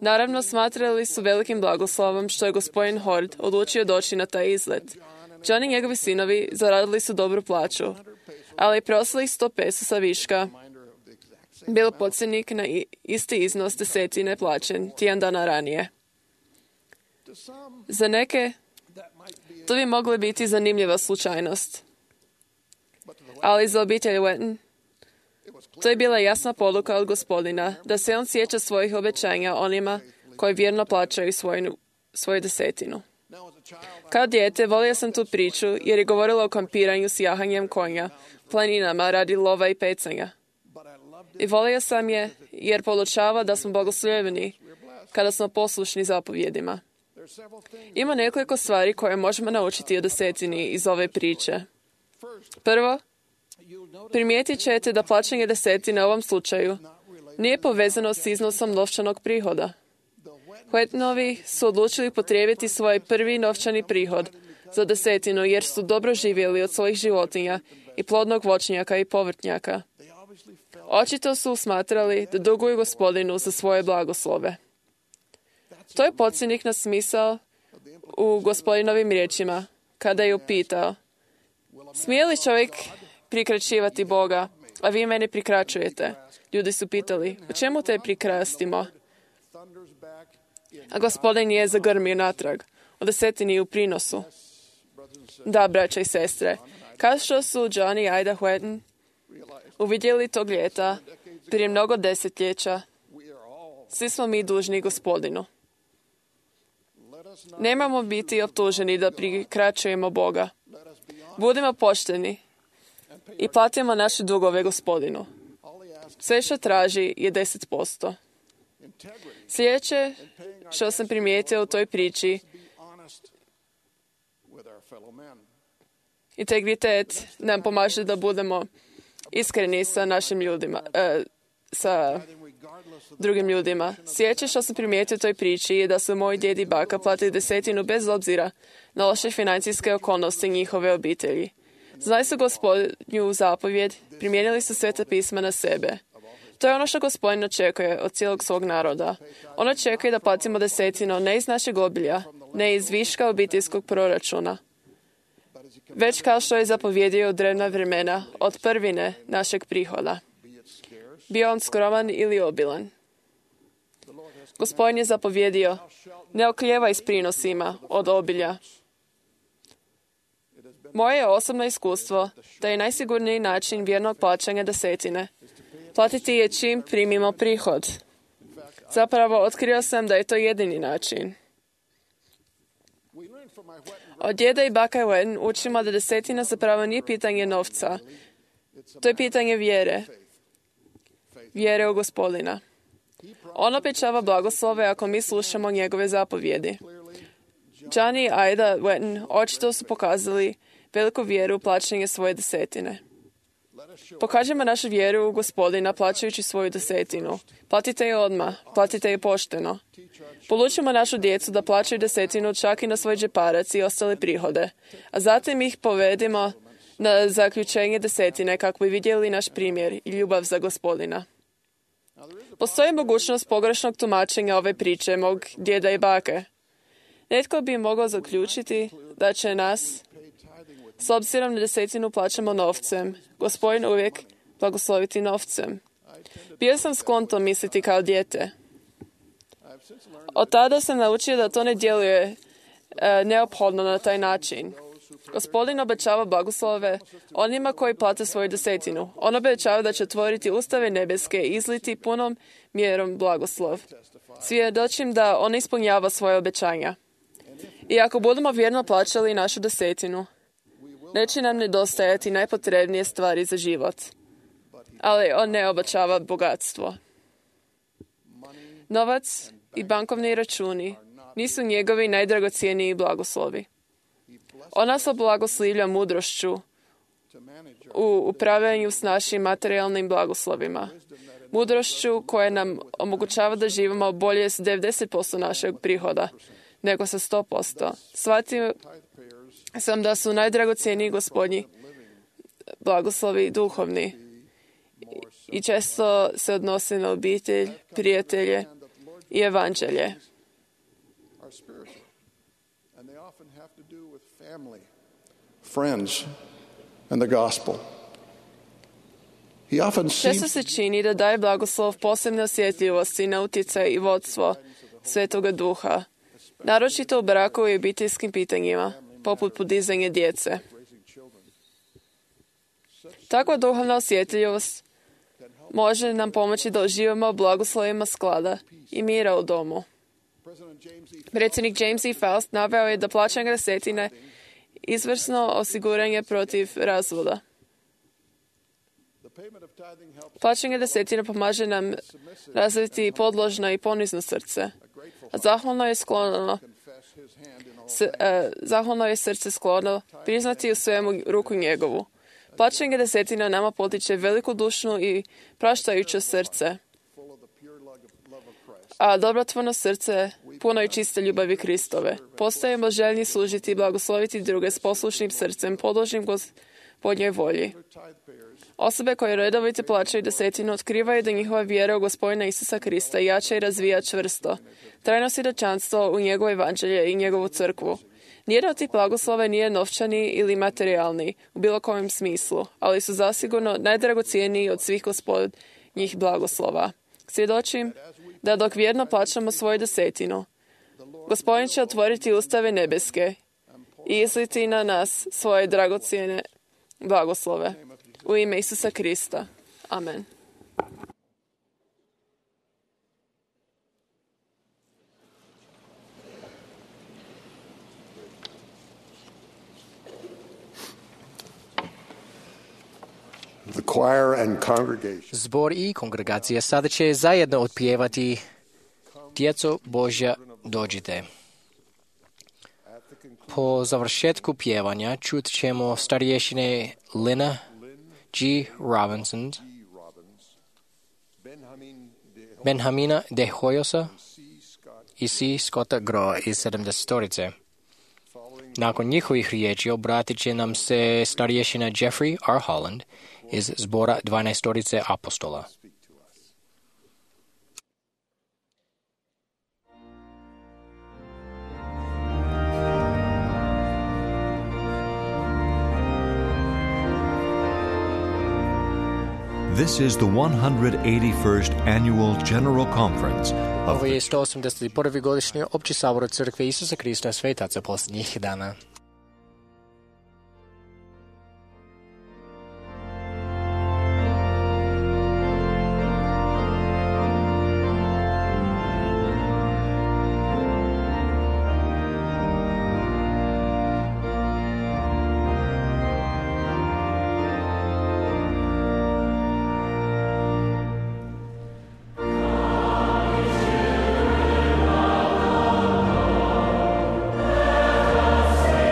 Naravno, smatrali su velikim blagoslovom što je gospodin Hord odlučio doći na taj izlet. John i njegovi sinovi zaradili su dobru plaću, ali preostalih sto pesosa viška bio podsjetnik na isti iznos desetine plaćen tjedan dana ranije. Za neke to bi mogla biti zanimljiva slučajnost. Ali za obitelj Wetton to je bila jasna poruka od Gospodina da se on sjeća svojih obećanja onima koji vjerno plaćaju svoju, svoju desetinu. Kao dijete volio sam tu priču jer je govorila o kampiranju s jahanjem konja, planinama radi lova i pecanja. I volio sam je jer podučava da smo blagoslovljeni kada smo poslušni zapovjedima. Ima nekoliko stvari koje možemo naučiti o desetini iz ove priče. Prvo, primijetit ćete da plaćanje desetine u ovom slučaju nije povezano s iznosom novčanog prihoda. Wettonovi su odlučili potrijebiti svoj prvi novčani prihod za desetinu jer su dobro živjeli od svojih životinja i plodnog voćnjaka i povrtnjaka. Očito su smatrali da duguju Gospodinu za svoje blagoslove. To je podsjetnik na smisao u Gospodinovim riječima kada je upitao: smije li čovjek prikraćivati Boga, a vi mene prikraćujete? Ljudi su pitali: u čemu te prikrastimo? A Gospodin je zagrmio natrag o desetini i u prinosu. Da, braća i sestre, kao što su John i Ida Wetton uvidjeli tog ljeta prije mnogo desetljeća, svi smo mi dužni Gospodinu. Nemamo biti optuženi da prikraćujemo Boga. Budimo pošteni i platimo naše dugove Gospodinu. Sve što traži je deset posto. Sljedeće što sam primijetio u toj priči, integritet nam pomaže da budemo iskreni sa našim ljudima, e, sa drugim ljudima. Sljedeće što sam primijetio u toj priči je da su moji djed i baka platili desetinu bez obzira na loše financijske okolnosti njihove obitelji. Znali su Gospodnju zapovjed, primijenili su Sveta pisma na sebe. To je ono što Gospodin očekuje od cijelog svog naroda. On očekuje da platimo desetinu ne iz našeg obilja, ne iz viška obiteljskog proračuna, već kao što je zapovjedio u drevna vremena od prvine našeg prihoda. Bio on skroman ili obilan. Gospodin je zapovjedio: ne oklijevaj s prinosima od obilja. Moje je osobno iskustvo da je najsigurniji način vjernog plaćanja desetine platiti je čim primimo prihod. Zapravo, otkrio sam da je to jedini način. Od djeda i baka Wetton učimo da desetina zapravo nije pitanje novca. To je pitanje vjere. Vjere u Gospodina. On obećava blagoslove ako mi slušamo njegove zapovjedi. John i Ida Wetton očito su pokazali veliku vjeru u plaćanje svoje desetine. Pokažemo našu vjeru u Gospodina plaćajući svoju desetinu. Platite je odmah, platite je pošteno. Polučimo našu djecu da plaćaju desetinu čak i na svoj džeparac i ostale prihode, a zatim ih povedimo na zaključenje desetine kako bi vidjeli naš primjer i ljubav za Gospodina. Postoji mogućnost pogrešnog tumačenja ove priče mog djeda i bake. Netko bi mogao zaključiti da će nas, s obzirom na desetinu plaćamo novcem, Gospodin uvijek blagosloviti novcem. Bio sam sklon to misliti kao dijete. Od tada sam naučio da to ne djeluje e, neophodno na taj način. Gospodin obećava blagoslove onima koji plate svoju desetinu. On obećava da će otvoriti ustave nebeske i izliti punom mjerom blagoslov. Svjedočim da on ispunjava svoje obećanja. I ako budemo vjerno plaćali našu desetinu, neće nam nedostajati najpotrebnije stvari za život. Ali on ne obećava bogatstvo. Novac i bankovni računi nisu njegovi najdragocjeniji blagoslovi. On nas oblagoslivlja mudrošću u upravljanju s našim materijalnim blagoslovima. Mudrošću koja nam omogućava da živimo bolje s devedeset posto našeg prihoda nego sa sto posto. Shvatio sam da su najdragocjeniji Gospodnji blagoslovi duhovni i često se odnose na obitelj, prijatelje i evanđelje. Friends and the gospel. He often Često seems se čini da daje blagoslov posebne osjetljivosti na utjecaj i vodstvo Svetoga Duha, naročito u braku i obiteljskim pitanjima, poput podizanja djece. Takva duhovna osjetljivost može nam pomoći da uživamo u blagoslovima sklada i mira u domu. Predsjednik James E. Faust naveo je da plaćanje desetine izvrsno osiguranje protiv razvoda. Plaćanje desetine pomaže nam razviti podložno i ponizno srce, a zahvalno je sklono S, e, zahvalno je srce sklono priznati u svemu ruku njegovu. Plaćanje desetina nama potiče velikodušno i praštajuće srce, a dobrotvorno srce puno i čiste ljubavi Kristove. Postajemo željni služiti i blagosloviti druge s poslušnim srcem, podložnim Gospodnjoj volji. Osobe koje redovito plaćaju desetinu otkrivaju da njihova vjera u Gospodina Isusa Krista jača i razvija čvrsto. Trajno svjedočanstvo u njegovo evanđelje i njegovu crkvu. Nijedan od tih blagoslova nije novčani ili materijalni u bilo kojem smislu, ali su zasigurno najdragocjeniji od svih Gospodnjih blagoslova. Svjedočim da dok vjerno plaćamo svoju desetinu, Gospodin će otvoriti ustave nebeske i izliti na nas svoje dragocjene blagoslove. U ime Isusa Krista. Amen. The choir and congregation Zbor i kongregacija sada će zajedno otpjevati Djeco Božja dođite. Po završetku pjevanja čut ćemo starješine Lina G. Robinson, Benhamina De Hoyosa i C. Scotta Groa iz sedamdesetorice. Nakon njihovih riječi obratit će nam se starješina Jeffrey R. Holland iz zbora dvanaestorice apostola. This is the one hundred eighty-first Annual General Conference of Ovo je sto osamdeset prvi godišnji opći sabor Crkve Isusa Krista svetaca posljednjih dana. Say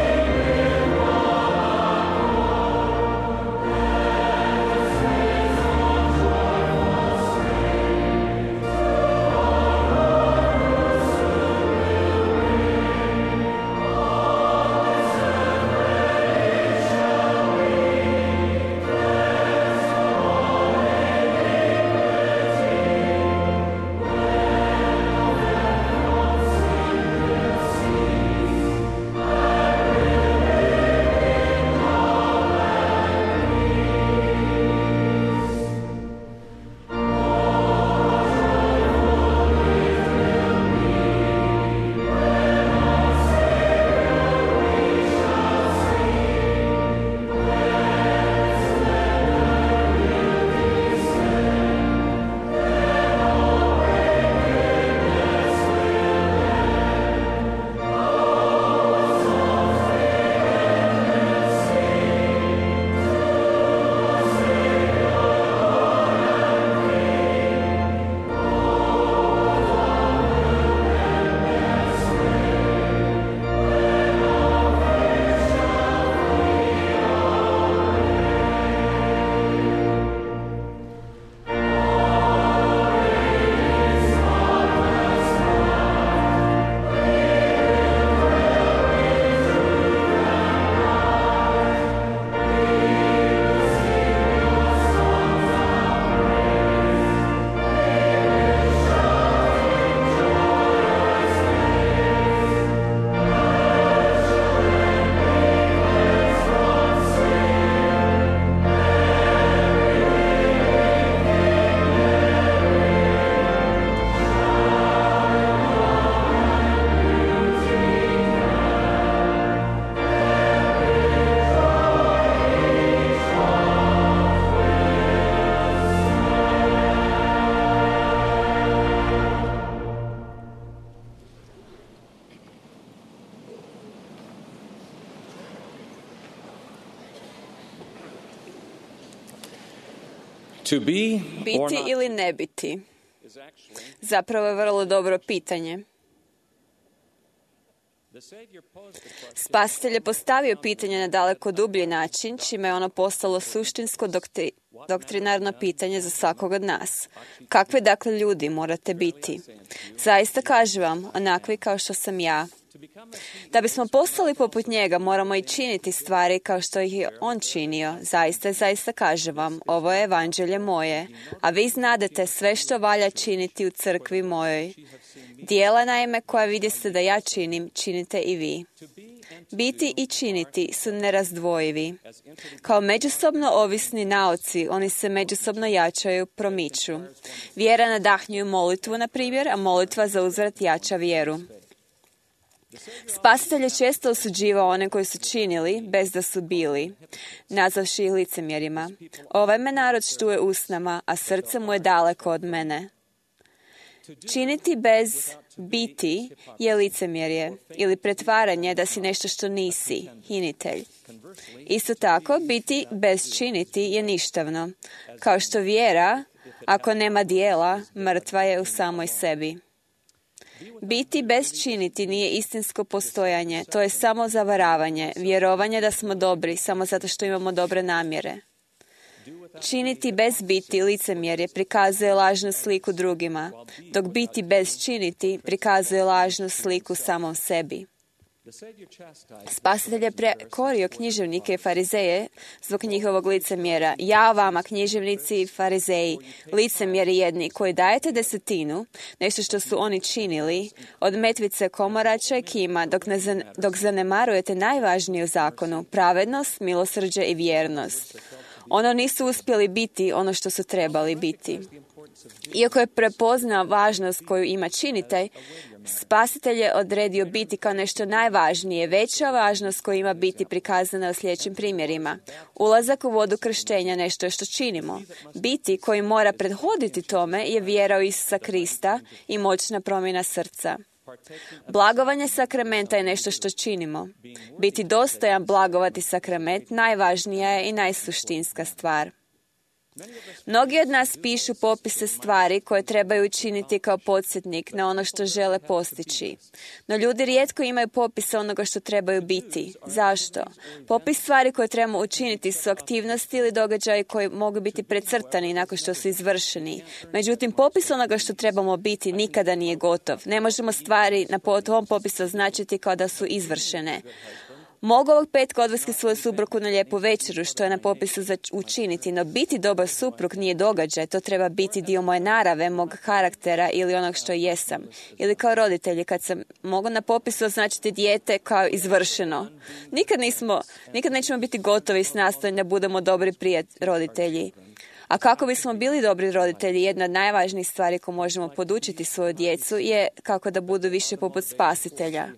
To be or Biti not ili ne biti? Zapravo je vrlo dobro pitanje. Spasitelj je postavio pitanje na daleko dublji način, čime je ono postalo suštinsko doktri, doktrinarno pitanje za svakog od nas. Kakve dakle ljudi morate biti? Zaista kažem vam, onakvi kao što sam ja. Da bismo postali poput njega, moramo i činiti stvari kao što ih je on činio. Zaista, zaista kažem vam, ovo je evanđelje moje, a vi znadete sve što valja činiti u crkvi mojoj. Dijela naime koja vidite da ja činim, činite i vi. Biti i činiti su nerazdvojivi. Kao međusobno ovisni naoci, oni se međusobno jačaju, promiču. Vjera nadahnjuju molitvu, na primjer, a molitva za uzvrat jača vjeru. Spasitelj je često osuđivao one koji su činili, bez da su bili, nazavši ih licemjerima. Ovaj me narod štuje usnama, a srce mu je daleko od mene. Činiti bez biti je licemjerje ili pretvaranje da si nešto što nisi, hinitelj. Isto tako, biti bez činiti je ništavno, kao što vjera, ako nema dijela, mrtva je u samoj sebi. Biti bez činiti nije istinsko postojanje, to je samo zavaravanje, vjerovanje da smo dobri samo zato što imamo dobre namjere. Činiti bez biti licemjerje prikazuje lažnu sliku drugima, dok biti bez činiti prikazuje lažnu sliku samom sebi. Spasitelj je prekorio književnike i farizeje zbog njihovog licemjera. Ja vama, književnici i farizeji, licemjeri jedni, koji dajete desetinu, nešto što su oni činili, od metvice komorača i kima, dok, ne zan, dok zanemarujete najvažniju zakonu, pravednost, milosrđe i vjernost. Ono nisu uspjeli biti ono što su trebali biti. Iako je prepoznao važnost koju ima činitelj, Spasitelj je odredio biti kao nešto najvažnije. Veća važnost koju ima biti prikazana u sljedećim primjerima. Ulazak u vodu krštenja nešto je što činimo. Biti koji mora prethoditi tome je vjera u Isusa Krista i moćna promjena srca. Blagovanje sakramenta je nešto što činimo. Biti dostojan blagovati sakrament najvažnija je i najsuštinska stvar. Mnogi od nas pišu popise stvari koje trebaju učiniti kao podsjetnik na ono što žele postići. No ljudi rijetko imaju popise onoga što trebaju biti. Zašto? Popis stvari koje trebamo učiniti su aktivnosti ili događaji koji mogu biti precrtani nakon što su izvršeni. Međutim, popis onoga što trebamo biti nikada nije gotov. Ne možemo stvari na tom popisu označiti kao da su izvršene. Mogu ovog petka odvesti svoju suprugu na lijepu večeru, što je na popisu za učiniti, no biti dobar suprug nije događaj, to treba biti dio moje narave, mog karaktera ili onog što jesam. Ili kao roditelji, kad sam mogu na popisu označiti dijete kao izvršeno. Nikad nismo, nikad nećemo biti gotovi s nastojanjem da budemo dobri prijatelji, roditelji. A kako bismo bili dobri roditelji, jedna od najvažnijih stvari koju možemo podučiti svoju djecu je kako da budu više poput Spasitelja.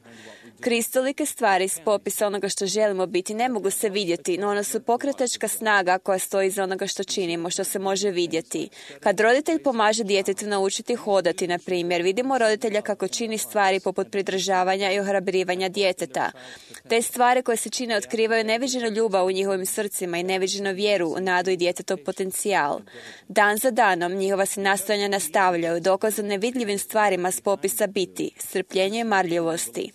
Kristolike stvari s popisa onoga što želimo biti ne mogu se vidjeti, no one su pokretačka snaga koja stoji iza onoga što činimo, što se može vidjeti. Kad roditelj pomaže djetetu naučiti hodati, na primjer, vidimo roditelja kako čini stvari poput pridržavanja i ohrabrivanja djeteta. Te stvari koje se čine otkrivaju neviđenu ljubav u njihovim srcima i neviđenu vjeru u nadu i djetetov potencijal. Dan za danom njihova se nastojanja nastavljaju, dokazom nevidljivim stvarima s popisa biti, strpljenje i marljivosti.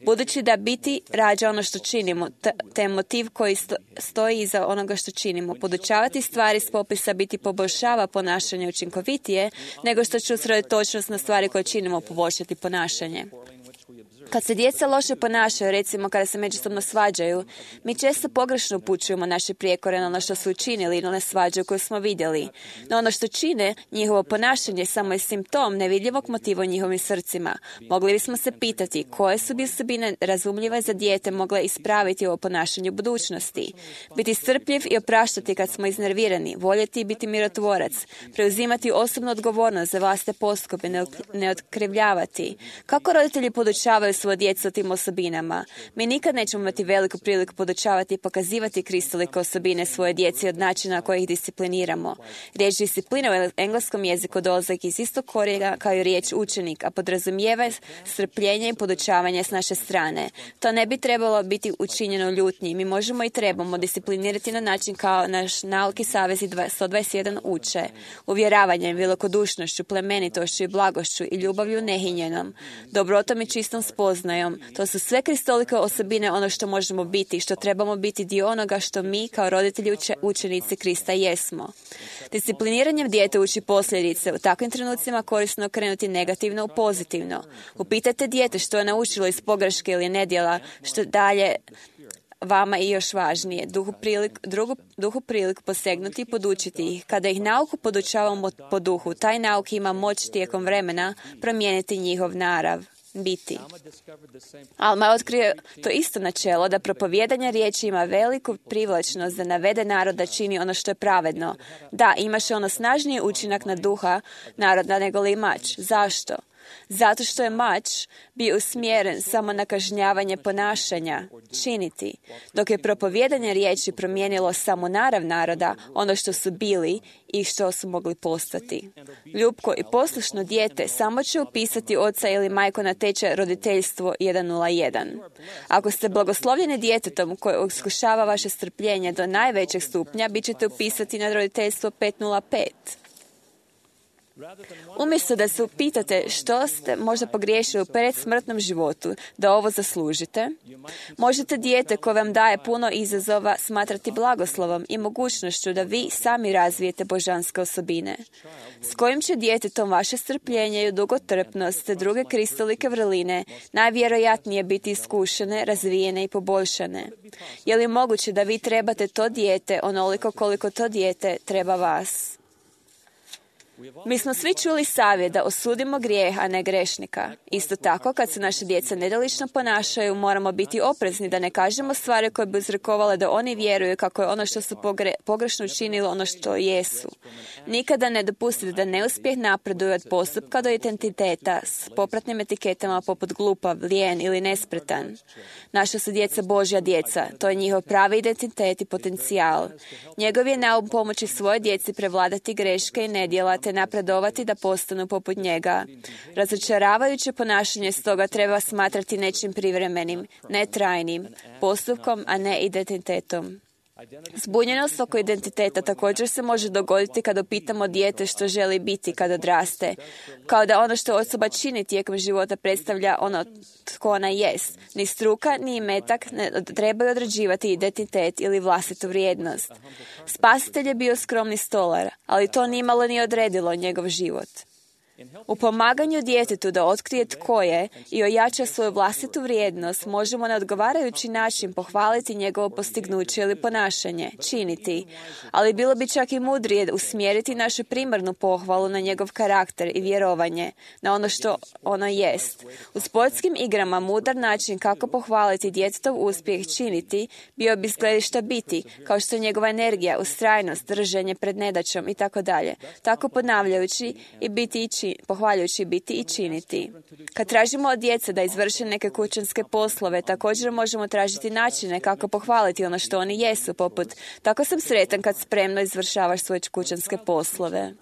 Budući da biti rađa ono što činimo, te motiv koji stoji iza onoga što činimo. Podučavati stvari s popisa biti poboljšava ponašanje učinkovitije, nego što će usredotočenost na stvari koje činimo poboljšati ponašanje. Kad se djeca loše ponašaju, recimo kada se međusobno svađaju, mi često pogrešno upućujemo naše prijekore na ono što su učinili i na one svađe koje smo vidjeli. No ono što čine, njihovo ponašanje, samo je simptom nevidljivog motiva u njihovim srcima. Mogli bismo se pitati koje su bi osobine razumljive za dijete mogle ispraviti ovo ponašanje u budućnosti. Biti strpljiv i opraštati kad smo iznervirani, voljeti i biti mirotvorac, preuzimati osobnu odgovornost za vlastite postupke, ne otkrivljavati. Kako roditelji podučavaju svoju djecu o tim osobinama. Mi nikad nećemo imati veliku priliku podučavati i pokazivati kristolike osobine svoje djeci od načina na koji ih discipliniramo. Riječ disciplina u engleskom jeziku dolazi iz istog korijena kao i riječ učenik, a podrazumijeva strpljenje i podučavanje s naše strane. To ne bi trebalo biti učinjeno u ljutnji. Mi možemo i trebamo disciplinirati na način kao naš nauki savezi sto dvadeset jedan uče, uvjeravanjem, velikodušnošću, plemenitošću i blagošću i ljubavlju nehinjenom, dobrotom i čistom spoznajom. To su sve kristolike osobine, ono što možemo biti, što trebamo biti dio onoga što mi kao roditelji uče, učenici Krista jesmo. Discipliniranjem dijete uči posljedice. U takvim trenucima korisno okrenuti negativno u pozitivno. Upitajte dijete što je naučilo iz pogreške ili nedjela, što dalje vama i još važnije, duhu prilik, drugu, duhu prilik posegnuti i podučiti ih. Kada ih nauku podučavamo po duhu, taj nauk ima moć tijekom vremena promijeniti njihov narav, biti. Alma je otkrio to isto načelo da propovijedanje riječi ima veliku privlačnost da navede narod da čini ono što je pravedno. Da, imaše ono snažniji učinak na duha naroda nego li mač. Zašto? Zato što je mač bio usmjeren samo na kažnjavanje ponašanja, činiti, dok je propovijedanje riječi promijenilo samo narav naroda, ono što su bili i što su mogli postati. Ljubko i poslušno dijete samo će upisati oca ili majku na tečaj roditeljstvo sto jedan. Ako ste blagoslovljeni djetetom koje iskušava vaše strpljenje do najvećeg stupnja, bit ćete upisati na roditeljstvo petsto pet. Umjesto da se upitate što ste možda pogriješili u predsmrtnom životu da ovo zaslužite, možete dijete koje vam daje puno izazova smatrati blagoslovom i mogućnošću da vi sami razvijete božanske osobine, s kojim će djetetom vaše strpljenje i dugotrpnost te druge kristolike vrline najvjerojatnije biti iskušene, razvijene i poboljšane. Je li moguće da vi trebate to dijete onoliko koliko to dijete treba vas? Mi smo svi čuli savjet da osudimo grijeh, a ne grešnika. Isto tako, kad se naše djeca nedolično ponašaju, moramo biti oprezni da ne kažemo stvari koje bi uzrokovale da oni vjeruju kako je ono što su pogre, pogrešno učinili ono što jesu. Nikada ne dopustite da neuspjeh napreduje od postupka do identiteta s popratnim etiketama poput glupav, lijen ili nespretan. Naša su djeca Božja djeca. To je njihov pravi identitet i potencijal. Njegov je naum pomoći svoje djeci prevladati greške i nedjela te napredovati da postanu poput njega. Razočaravajuće ponašanje stoga treba smatrati nečim privremenim, ne trajnim, postupkom, a ne identitetom. Zbunjenost oko identiteta također se može dogoditi kada pitamo dijete što želi biti kada odraste, kao da ono što osoba čini tijekom života predstavlja ono tko ona jest. Ni struka, ni imetak ne trebaju određivati identitet ili vlastitu vrijednost. Spasitelj je bio skromni stolar, ali to nimalo nije odredilo njegov život. U pomaganju djetetu da otkrije tko je i ojača svoju vlastitu vrijednost, možemo na odgovarajući način pohvaliti njegovo postignuće ili ponašanje, činiti, ali bilo bi čak i mudrije usmjeriti našu primarnu pohvalu na njegov karakter i vjerovanje, na ono što ono jest. U sportskim igrama mudar način kako pohvaliti djetetov uspjeh činiti bio bi s gledišta biti, kao što je njegova energija, ustrajnost, drženje pred nedaćom i tako dalje, tako ponavljajući i biti i činiti. pohvaljujući biti i činiti. Kad tražimo od djece da izvrše neke kućanske poslove, također možemo tražiti načine kako pohvaliti ono što oni jesu, poput tako sam sretan kad spremno izvršavaš svoje kućanske poslove.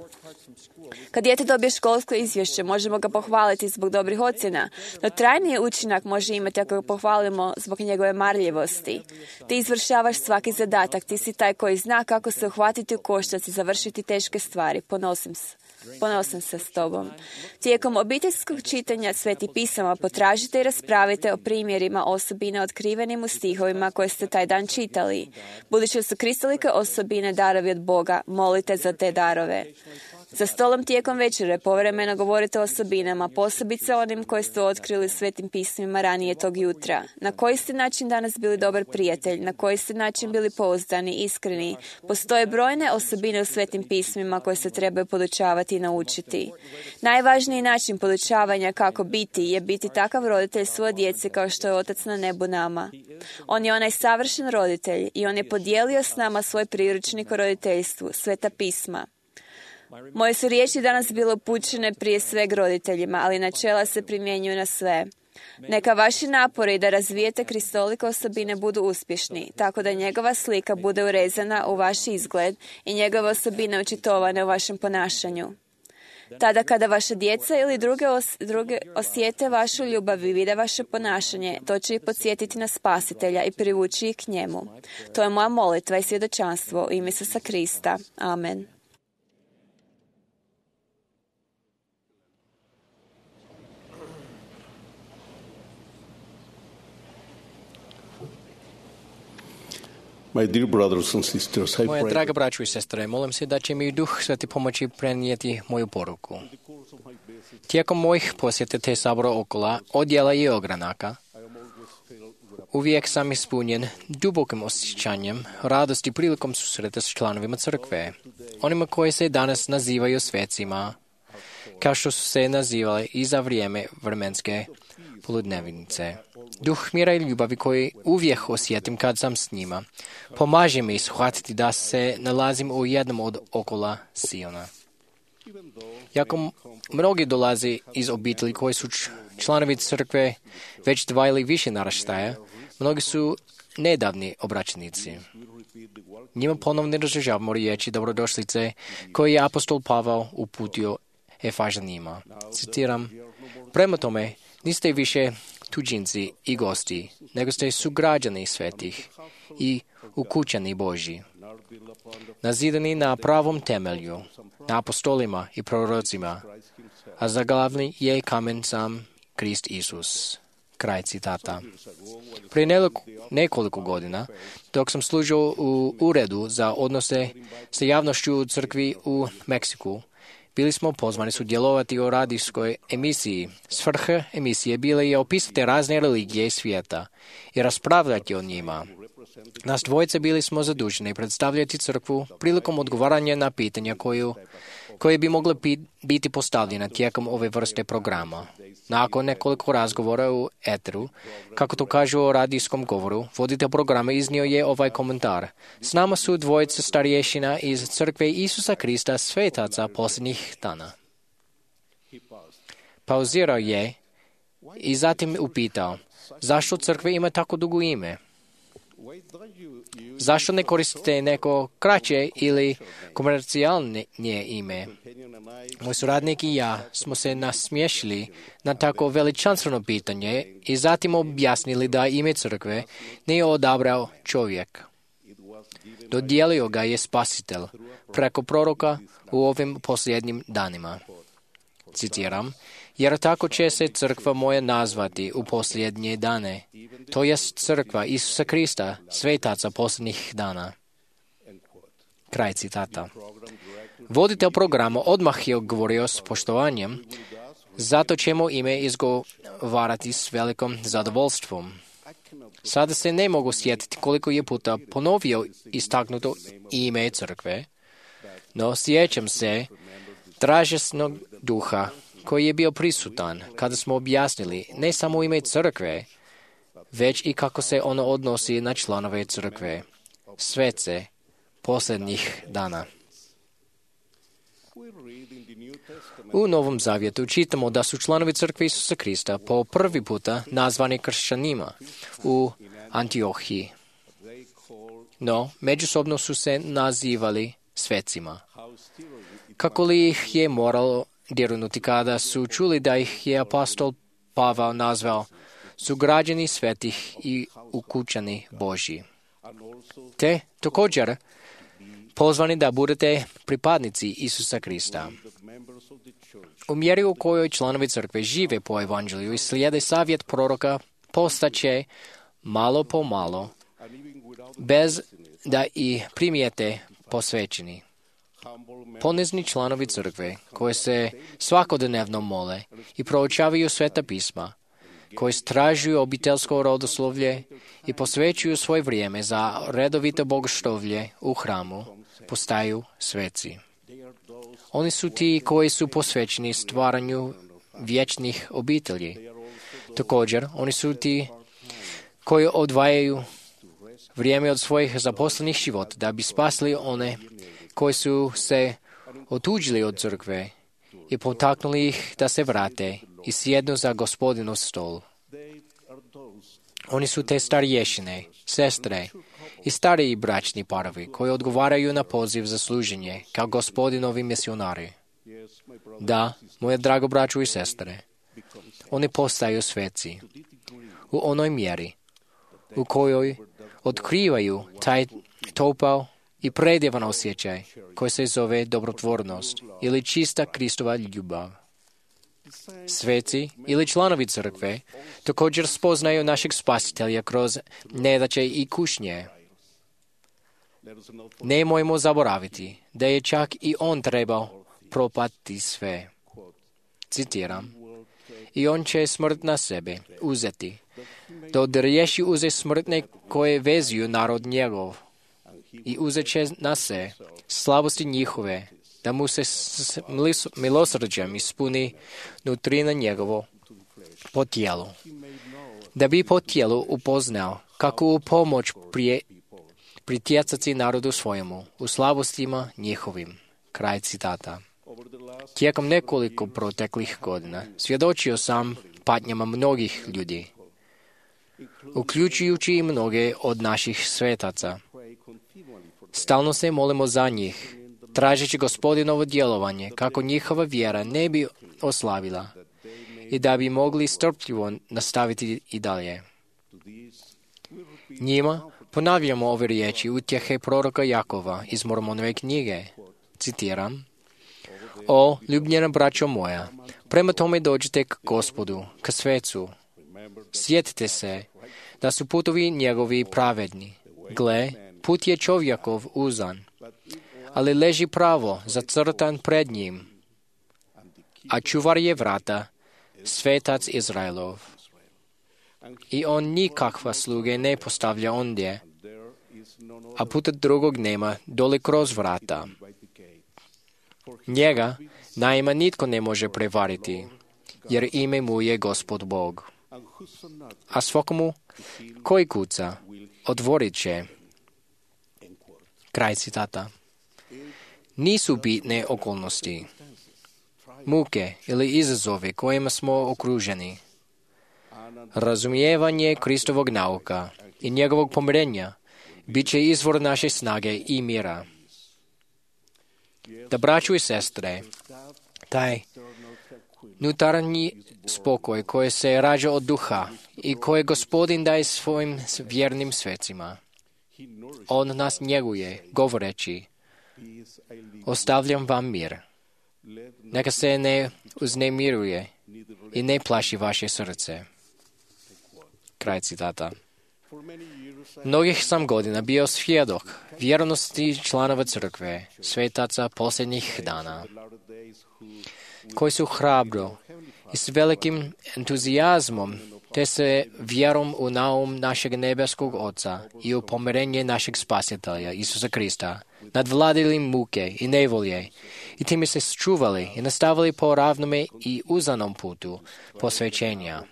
Kad dijete dobije školsko izvješće, možemo ga pohvaliti zbog dobrih ocjena, no trajniji učinak može imati ako ga pohvalimo zbog njegove marljivosti. Ti izvršavaš svaki zadatak, ti si taj koji zna kako se uhvatiti u koštac i završiti teške stvari. Ponosim se. Ponosim se s tobom. Tijekom obiteljskog čitanja Svetih pisama potražite i raspravite o primjerima osobina otkrivenim u stihovima koje ste taj dan čitali. Budući su kristolike osobine darovi od Boga, molite za te darove. Za stolom tijekom večere povremeno govorite o osobinama, posebice onim koje ste otkrili u Svetim pismima ranije tog jutra. Na koji ste način danas bili dobar prijatelj, na koji ste način bili pouzdani, iskreni. Postoje brojne osobine u Svetim pismima koje se trebaju podučavati i naučiti. Najvažniji način podučavanja kako biti je biti takav roditelj svoje djece kao što je Otac na nebu nama. On je onaj savršen roditelj i on je podijelio s nama svoj priručnik o roditeljstvu, Sveta pisma. Moje su riječi danas bile upućene prije sveg roditeljima, ali načela se primjenjuju na sve. Neka vaši napori da razvijete kristolike osobine budu uspješni, tako da njegova slika bude urezana u vaš izgled i njegove osobine očitovane u vašem ponašanju. Tada kada vaša djeca ili druge, os, druge osjete vašu ljubav i vide vaše ponašanje, to će ih podsjetiti na Spasitelja i privući ih k njemu. To je moja molitva i svjedočanstvo u ime Isusa Krista. Amen. Moje draga braćo i sestre, molim se da će mi Duh Sveti pomoći prenijeti moju poruku. Tijekom mojih posjeta te sabora okolo, odjela i ogranaka, uvijek sam ispunjen dubokim osjećanjem radosti prilikom susreta s članovima crkve, onima koji se danas nazivaju svecima, kao što su se nazivali i za vrijeme vremenske poludnevnice. Duh mira i ljubavi koji uvijek osjetim kad sam s njima, pomaže mi shvatiti da se nalazim u jednom od okola Siona. Jako mnogi dolaze iz obitelji koji su članovi crkve već dva ili više naraštaja, mnogi su nedavni obraćenici. Njima ponovno izražavamo riječi dobrodošlice koje je apostol Pavao uputio Efežanima. Citiram: prema tome, niste više tuđinci i gosti, nego ste sugrađani svetih i ukućani Božji, nazidani na pravom temelju, na apostolima i prorocima, a za glavni je kamen sam Krist Isus. Kraj citata. Prije nekoliko godina, dok sam služio u uredu za odnose sa javnošću u crkvi u Meksiku, bili smo pozvani sudjelovati u radijskoj emisiji. Svrha emisije bila je opisati razne religije svijeta i raspravljati o njima. Nas dvojice bili smo zaduženi predstavljati crkvu prilikom odgovaranja na pitanja koju, koje bi mogle biti postavljena tijekom ove vrste programa. Nakon nekoliko razgovora u eteru, kako to kažu o radijskom govoru, voditelj programa iznio je ovaj komentar: s nama su dvojice starješina iz crkve Isusa Krista svetaca posljednjih dana. Pauzirao je i zatim upitao: zašto crkva ima tako dugo ime? Zašto ne koristite neko kraće ili komercijalnije ime? Moj suradnik i ja smo se nasmiješili na tako veličanstveno pitanje i zatim objasnili da ime crkve nije odabrao čovjek. Dodijelio ga je Spasitelj preko proroka u ovim posljednjim danima. Citiram: jer tako će se crkva moja nazvati u posljednje dane, to jest crkva Isusa Krista, svetaca posljednjih dana. Kraj citata. Voditelj programa odmah je govorio s poštovanjem, zato ćemo ime izgovarati s velikom zadovoljstvom. Sada se ne mogu sjetiti koliko je puta ponovio istaknuto ime crkve, no sjećam se dražesnog duha koji je bio prisutan kada smo objasnili ne samo ime crkve, već i kako se ono odnosi na članove crkve, svece posljednjih dana. U Novom Zavjetu čitamo da su članovi crkve Isusa Krista po prvi puta nazvani kršćanima u Antiohiji. No, međusobno su se nazivali svecima. Kako li ih je moralo dirnuti kada su čuli da ih je apostol Pavao nazvao sugrađani svetih i ukućani Božji. Te također pozvani da budete pripadnici Isusa Krista. U mjeri u kojoj članovi crkve žive po evanđelju i slijede savjet proroka, postaće malo po malo, bez da i primijete posvećeni. Ponizni članovi crkve, koji se svakodnevno mole i proučavaju sveta pisma, koji stražuju obiteljsko rodoslovlje i posvećuju svoje vrijeme za redovito bogoslovlje u hramu, postaju sveci. Oni su ti koji su posvećeni stvaranju vječnih obitelji. Također, oni su ti koji odvajaju vrijeme od svojih zaposlenih života da bi spasili one koji su se otuđili od crkve i potaknuli ih da se vrate i sjednu za Gospodinov stol. Oni su te starješine, sestre i stariji bračni parovi koji odgovaraju na poziv za služenje kao gospodinovi misionari. Da, moje drago braćo i sestre, oni postaju sveci u onoj mjeri u kojoj otkrivaju taj topao i predjevan osjećaj koji se zove dobrotvornost ili čista Kristova ljubav. Sveci ili članovi crkve također spoznaju našeg spasitelja kroz nedaće i kušnje. Nemojmo zaboraviti da je čak i on trebao propati sve. Citiram, i on će smrt na sebe uzeti, da odriješi uze smrtne koje vezuju narod njegov i uzet će na se slabosti njihove, da mu se s milosrđem ispuni nutrina njegovo po tijelu, da bi po tijelu upoznao kako u pomoć prije pritjecati narodu svojemu u slabostima njihovim. Kraj citata. Tijekom nekoliko proteklih godina svjedočio sam patnjama mnogih ljudi, uključujući i mnoge od naših svetaca. Stalno se molimo za njih, tražeći Gospodinovo djelovanje kako njihova vjera ne bi oslabila i da bi mogli strpljivo nastaviti i dalje. Njima ponavljamo ove riječi utjehe proroka Jakova iz Mormonove knjige. Citiram, o, ljubljena braćo moja, prema tome dođite k Gospodu, k svecu. Sjetite se da su putovi njegovi pravedni. Gle, put je čovjekov uzan, ali leži pravo zacrtan pred njim, a čuvar je vrata, svetac Izraelov. I on nikakva sluge ne postavlja ondje, a puta drugog nema dole kroz vrata. Njega naima nitko ne može prevariti, jer ime mu je Gospod Bog. A svakomu koji kuca, otvorit će. Kraj citata. Nisu bitne okolnosti, muke ili izazove kojima smo okruženi. Razumijevanje Kristovog nauka i njegovog pomirenja bit će izvor naše snage i mira. Da, braćo i sestre, taj unutarnji spokoj koji se rađa od duha i koje Gospodin daje svojim vjernim svecima, on nas njeguje, govoreći, ostavljam vam mir. Neka se ne uznemiruje i ne plaši vaše srce. Kraj citata. Mnogih sam godina bio svjedok vjernosti članova crkve, svetaca posljednjih dana, koji su hrabro i s velikim entuzijazmom te se vjerom u naum našeg nebeskog Oca i u pomirenje našeg Spasitelja, Isusa Krista, nadvladili muke i nevolje i time se čuvali i nastavili po ravnome i uzanom putu posvećenja.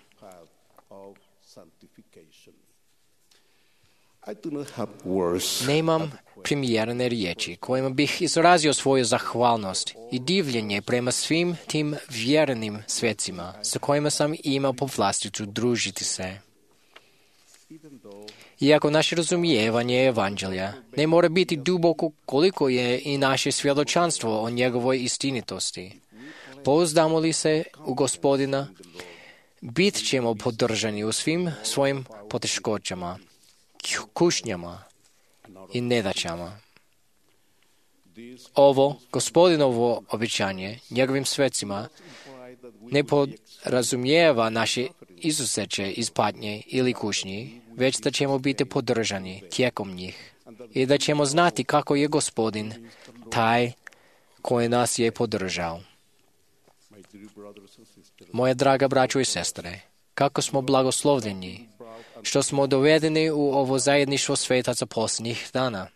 Nemam primjerene riječi kojima bih izrazio svoju zahvalnost i divljenje prema svim tim vjernim svecima sa kojima sam imao povlasticu družiti se. Iako naše razumijevanje evanđelja ne mora biti duboko koliko je i naše svjedočanstvo o njegovoj istinitosti, pouzdamo li se u Gospodina, bit ćemo podržani u svim svojim poteškoćama, kušnjama i nedaćama. Ovo Gospodinovo obećanje njegovim svecima ne podrazumijeva naše izuzeće iz patnje ili kušnji, već da ćemo biti podržani tijekom njih i da ćemo znati kako je Gospodin taj koji nas je podržao. Moje draga braćo i sestre, kako smo blagoslovljeni što smo dovedeni u ovo zajedništvo svetaca posljednjih dana.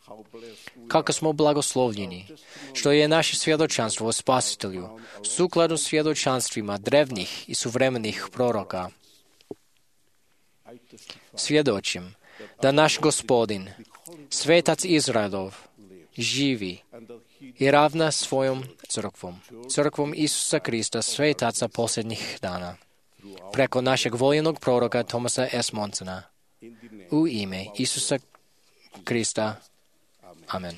Kako smo blagoslovljeni što je naše svjedočanstvo o Spasitelju sukladno svjedočanstvima drevnih i suvremenih proroka. Svjedočim da naš Gospodin, svetac Izraelov, živi i ravna svojom crkvom, crkvom Isusa Krista, svetaca posljednjih dana, preko našeg voljenog proroka Thomasa S. Monsona. U ime Isusa Krista. Amen.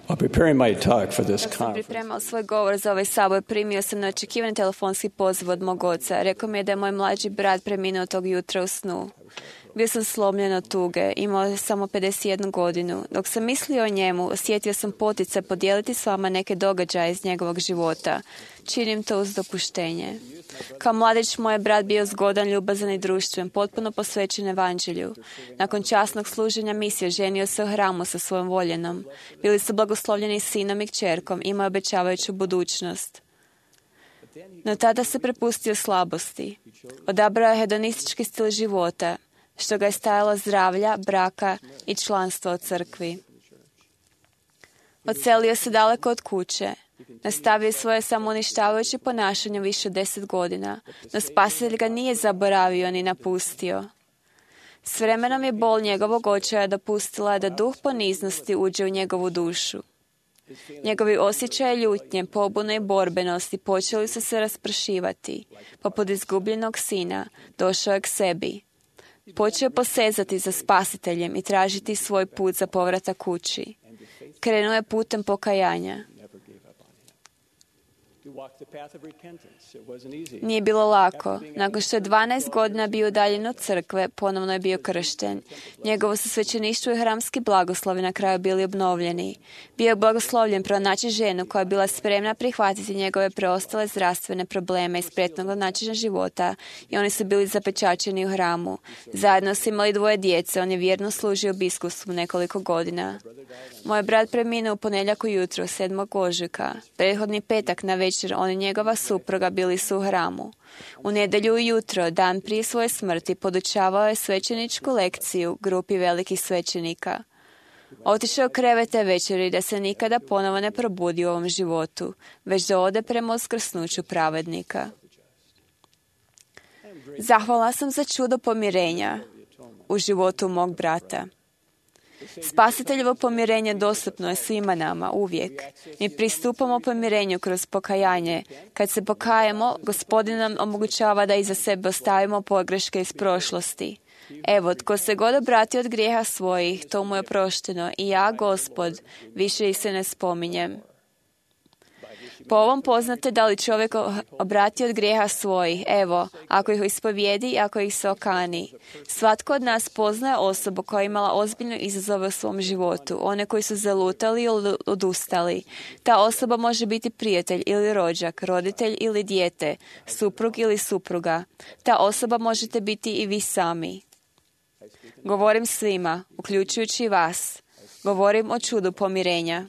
While preparing my talk for this Dok sam conference, pripremao svoj govor za ovaj sabor, primio sam neočekivani telefonski poziv od mog oca. Rekao mi je da je moj mlađi brat preminuo tog jutra u snu. Bio sam slomljen od tuge, imao je samo pedeset jednu godinu. Dok sam mislio o njemu, osjetio sam poticaj podijeliti s vama neke događaje iz njegovog života. Činim to uz dopuštenje. Kao mladić moj je brat bio zgodan, ljubazan i društven, potpuno posvećen evanđelju. Nakon časnog služenja misije ženio se u hramu sa svojom voljenom. Bili su blagoslovljeni sinom i kćerkom, imao obećavajuću budućnost. No tada se prepustio slabosti. Odabrao je hedonistički stil života, što ga je stajalo zdravlja, braka i članstva u crkvi. Odselio se daleko od kuće. Nastavio svoje samouništavajuće ponašanje više od deset godina, no Spasitelj ga nije zaboravio ni napustio. S vremenom je bol njegovog očaja dopustila da duh poniznosti uđe u njegovu dušu. Njegovi osjećaje ljutnje, pobune i borbenosti počeli su se raspršivati. Poput izgubljenog sina došao je k sebi. Počeo posezati za Spasiteljem i tražiti svoj put za povratak kući. Krenuo je putem pokajanja. Nije bilo lako. Nakon što je dvanaest godina bio udaljen od crkve, ponovno je bio kršten. Njegovo su svećeništvo i hramski blagoslovi na kraju bili obnovljeni. Bio je blagoslovljen pronaći ženu koja je bila spremna prihvatiti njegove preostale zdravstvene probleme iz prethodnog načina života i oni su bili zapečaćeni u hramu. Zajedno su imali dvoje djece, on je vjerno služio biskupstvu nekoliko godina. Moj brat preminuo u ponedjeljak ujutro, sedmog ožujka. Prethodni petak na večer on i njegova supruga bili su u hramu. U nedjelju ujutro, dan prije svoje smrti, podučavao je svećeničku lekciju grupi velikih svećenika. Otišao u krevet te večeri da se nikada ponovo ne probudi u ovom životu, već da ode prema uskrsnuću pravednika. Zahvalna sam za čudo pomirenja u životu mog brata. Spasiteljevo pomirenje dostupno je svima nama, uvijek. Mi pristupamo pomirenju kroz pokajanje. Kad se pokajemo, Gospodin nam omogućava da iza sebe ostavimo pogreške iz prošlosti. Evo, tko se god obrati od grijeha svojih, to mu je oprošteno. I ja, Gospod, više ih se ne spominjem. Po ovom poznate da li čovjek obrati od grijeha svojih, evo, ako ih ispovijedi i ako ih se okani. Svatko od nas poznaje osobu koja je imala ozbiljne izazove u svom životu, one koji su zalutali ili odustali. Ta osoba može biti prijatelj ili rođak, roditelj ili dijete, suprug ili supruga. Ta osoba možete biti i vi sami. Govorim svima, uključujući i vas. Govorim o čudu pomirenja.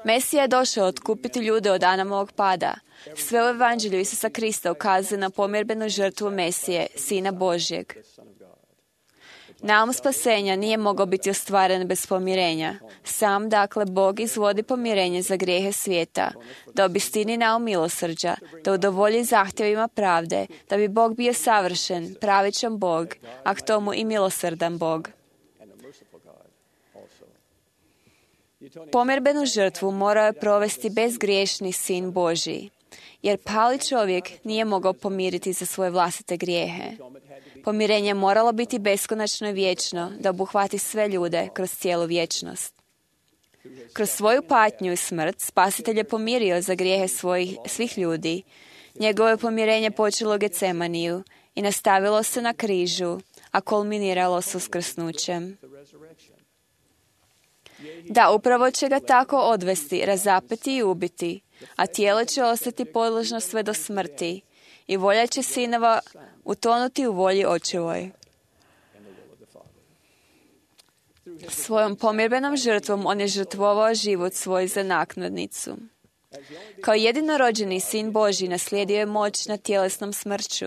Mesija je došao otkupiti ljude od Adamovog pada. Sve u evanđelju Isusa Krista ukazuje na pomirbenu žrtvu Mesije, Sina Božjeg. Naum spasenja nije mogao biti ostvaren bez pomirenja. Sam, dakle, Bog izvodi pomirenje za grijehe svijeta, da obistini naum milosrđa, da udovolji zahtjevima pravde, da bi Bog bio savršen, pravičan Bog, a k tomu i milosrdan Bog. Pomirbenu žrtvu morao je provesti bezgriješni Sin Božji, jer pali čovjek nije mogao pomiriti za svoje vlastite grijehe. Pomirenje moralo biti beskonačno i vječno, da obuhvati sve ljude kroz cijelu vječnost. Kroz svoju patnju i smrt Spasitelj je pomirio za grijehe svojih, svih ljudi. Njegovo je pomirenje počelo u Getsemaniju i nastavilo se na križu, a kulminiralo s uskrsnućem. Da, upravo će ga tako odvesti, razapeti i ubiti, a tijelo će ostati podložno sve do smrti i volja će sinova utonuti u volji očevoj. Svojom pomirbenom žrtvom on je žrtvovao život svoj za naknadnicu. Kao jedinorođeni Sin Božji naslijedio je moć nad tjelesnom smrću.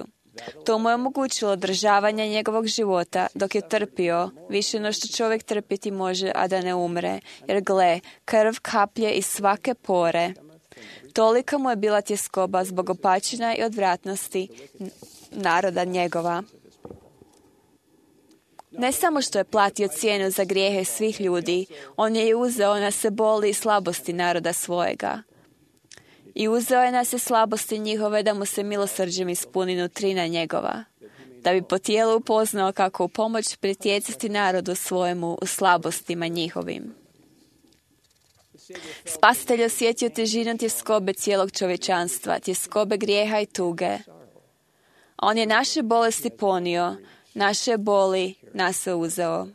To mu je omogućilo održavanje njegovog života dok je trpio više no što čovjek trpiti može, a da ne umre. Jer gle, krv kaplje iz svake pore. Tolika mu je bila tjeskoba zbog opačina i odvratnosti naroda njegova. Ne samo što je platio cijenu za grijehe svih ljudi, on je i uzeo na se boli i slabosti naroda svojega. I uzeo je na se slabosti njihove da mu se milosrđem ispuni nutrina njegova, da bi po tijelu upoznao kako u pomoć pritjecati narodu svojemu u slabostima njihovim. Spasitelj osjetio težinu tjeskobe cijelog čovječanstva, tjeskobe grijeha i tuge. On je naše bolesti ponio, naše boli nas je uzeo.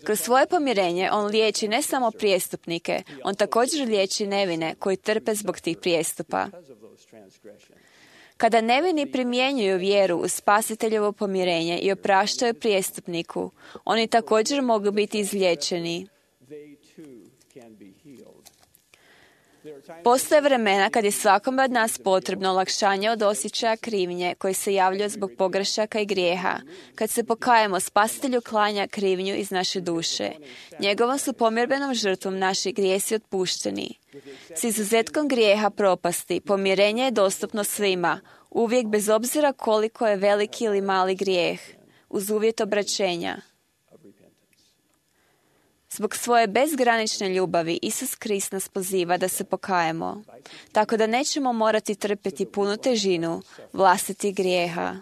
Kroz svoje pomirenje on liječi ne samo prijestupnike, on također liječi nevine koji trpe zbog tih prijestupa. Kada nevini primjenjuju vjeru u spasiteljevo pomirenje i opraštaju prijestupniku, oni također mogu biti izliječeni. Postoje vremena kad je svakome od nas potrebno olakšanje od osjećaja krivnje koji se javljaju zbog pogrešaka i grijeha. Kad se pokajemo, Spasitelj uklanja krivnju iz naše duše. Njegovom su pomirbenom žrtvom naši grijesi otpušteni. S izuzetkom grijeha propasti, pomirenje je dostupno svima, uvijek bez obzira koliko je veliki ili mali grijeh, uz uvjet obraćenja. Zbog svoje bezgranične ljubavi, Isus Krist nas poziva da se pokajemo, tako da nećemo morati trpjeti punu težinu vlastitih grijeha.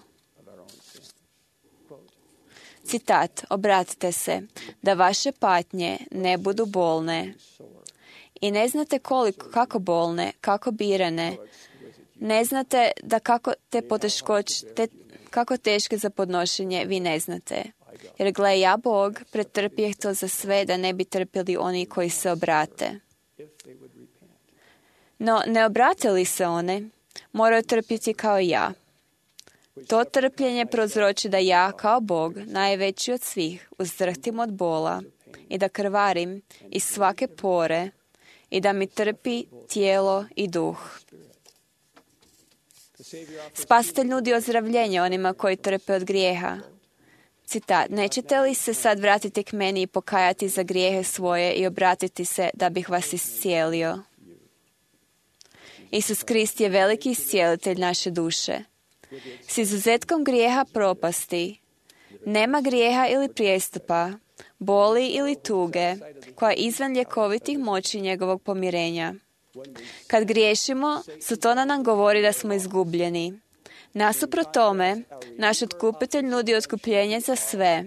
Citat, obratite se, da vaše patnje ne budu bolne. I ne znate koliko, kako bolne, kako birane. Ne znate da kako te poteškoće, te, kako teške za podnošenje vi ne znate. Jer gle, ja Bog pretrpjeh to za sve da ne bi trpjeli oni koji se obrate. No, ne obrate li se one, moraju trpjeti kao i ja. To trpljenje prouzroči da ja, kao Bog, najveći od svih, uzdrhtim od bola i da krvarim iz svake pore i da mi trpi tijelo i duh. Spasitelj nudi ozdravljenje onima koji trpe od grijeha. Citat, nećete li se sad vratiti k meni i pokajati za grijehe svoje i obratiti se da bih vas iscijelio? Isus Krist je veliki iscijelitelj naše duše. S izuzetkom grijeha propasti, nema grijeha ili prijestupa, boli ili tuge, koja je izvan ljekovitih moći njegovog pomirenja. Kad griješimo, Sotona nam govori da smo izgubljeni. Nasuprot tome, naš otkupitelj nudi otkupljenje za sve,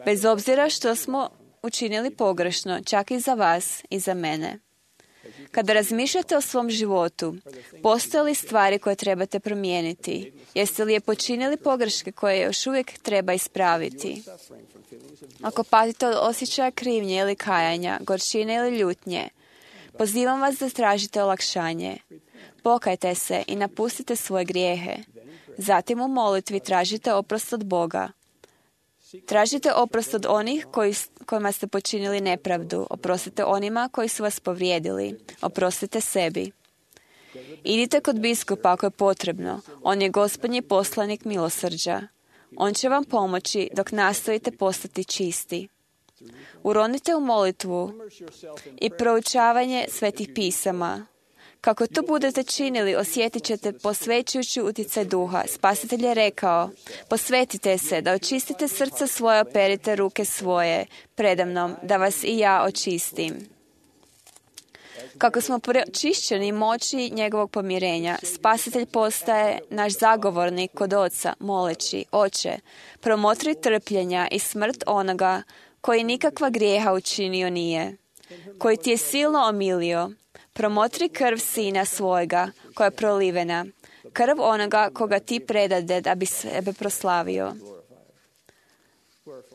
bez obzira što smo učinili pogrešno, čak i za vas i za mene. Kada razmišljate o svom životu, postoje li stvari koje trebate promijeniti? Jeste li je počinili pogreške koje još uvijek treba ispraviti? Ako patite od osjećaja krivnje ili kajanja, gorčine ili ljutnje, pozivam vas da tražite olakšanje. Pokajte se i napustite svoje grijehe. Zatim u molitvi tražite oprost od Boga. Tražite oprost od onih koji, kojima ste počinili nepravdu. Oprostite onima koji su vas povrijedili. Oprostite sebi. Idite kod biskupa ako je potrebno. On je Gospodnji poslanik milosrđa. On će vam pomoći dok nastojite postati čisti. Uronite u molitvu i proučavanje svetih pisama. Kako to budete činili, osjetit ćete posvećujući utjecaj duha. Spasitelj je rekao, posvetite se, da očistite srce svoje, operite ruke svoje predamnom, da vas i ja očistim. Kako smo pročišćeni moći njegovog pomirenja, Spasitelj postaje naš zagovornik kod Oca, moleći, Oče, promotri trpljenja i smrt onoga koji nikakva grijeha učinio nije, koji ti je silno omilio. Promotri krv sina svojega, koja je prolivena, krv onoga koga ti predade da bi sebe proslavio.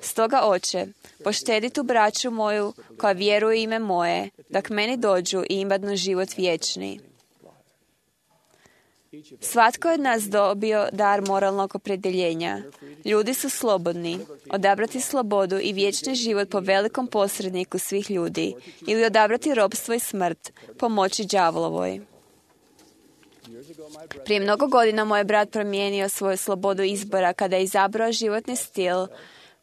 Stoga, Oče, poštedi tu braću moju koja vjeruje u ime moje, da k meni dođu i imadnu život vječni. Svatko je od nas dobio dar moralnog opredjeljenja. Ljudi su slobodni odabrati slobodu i vječni život po velikom posredniku svih ljudi ili odabrati ropstvo i smrt po moći đavlovoj. Prije mnogo godina moj brat promijenio svoju slobodu izbora kada je izabrao životni stil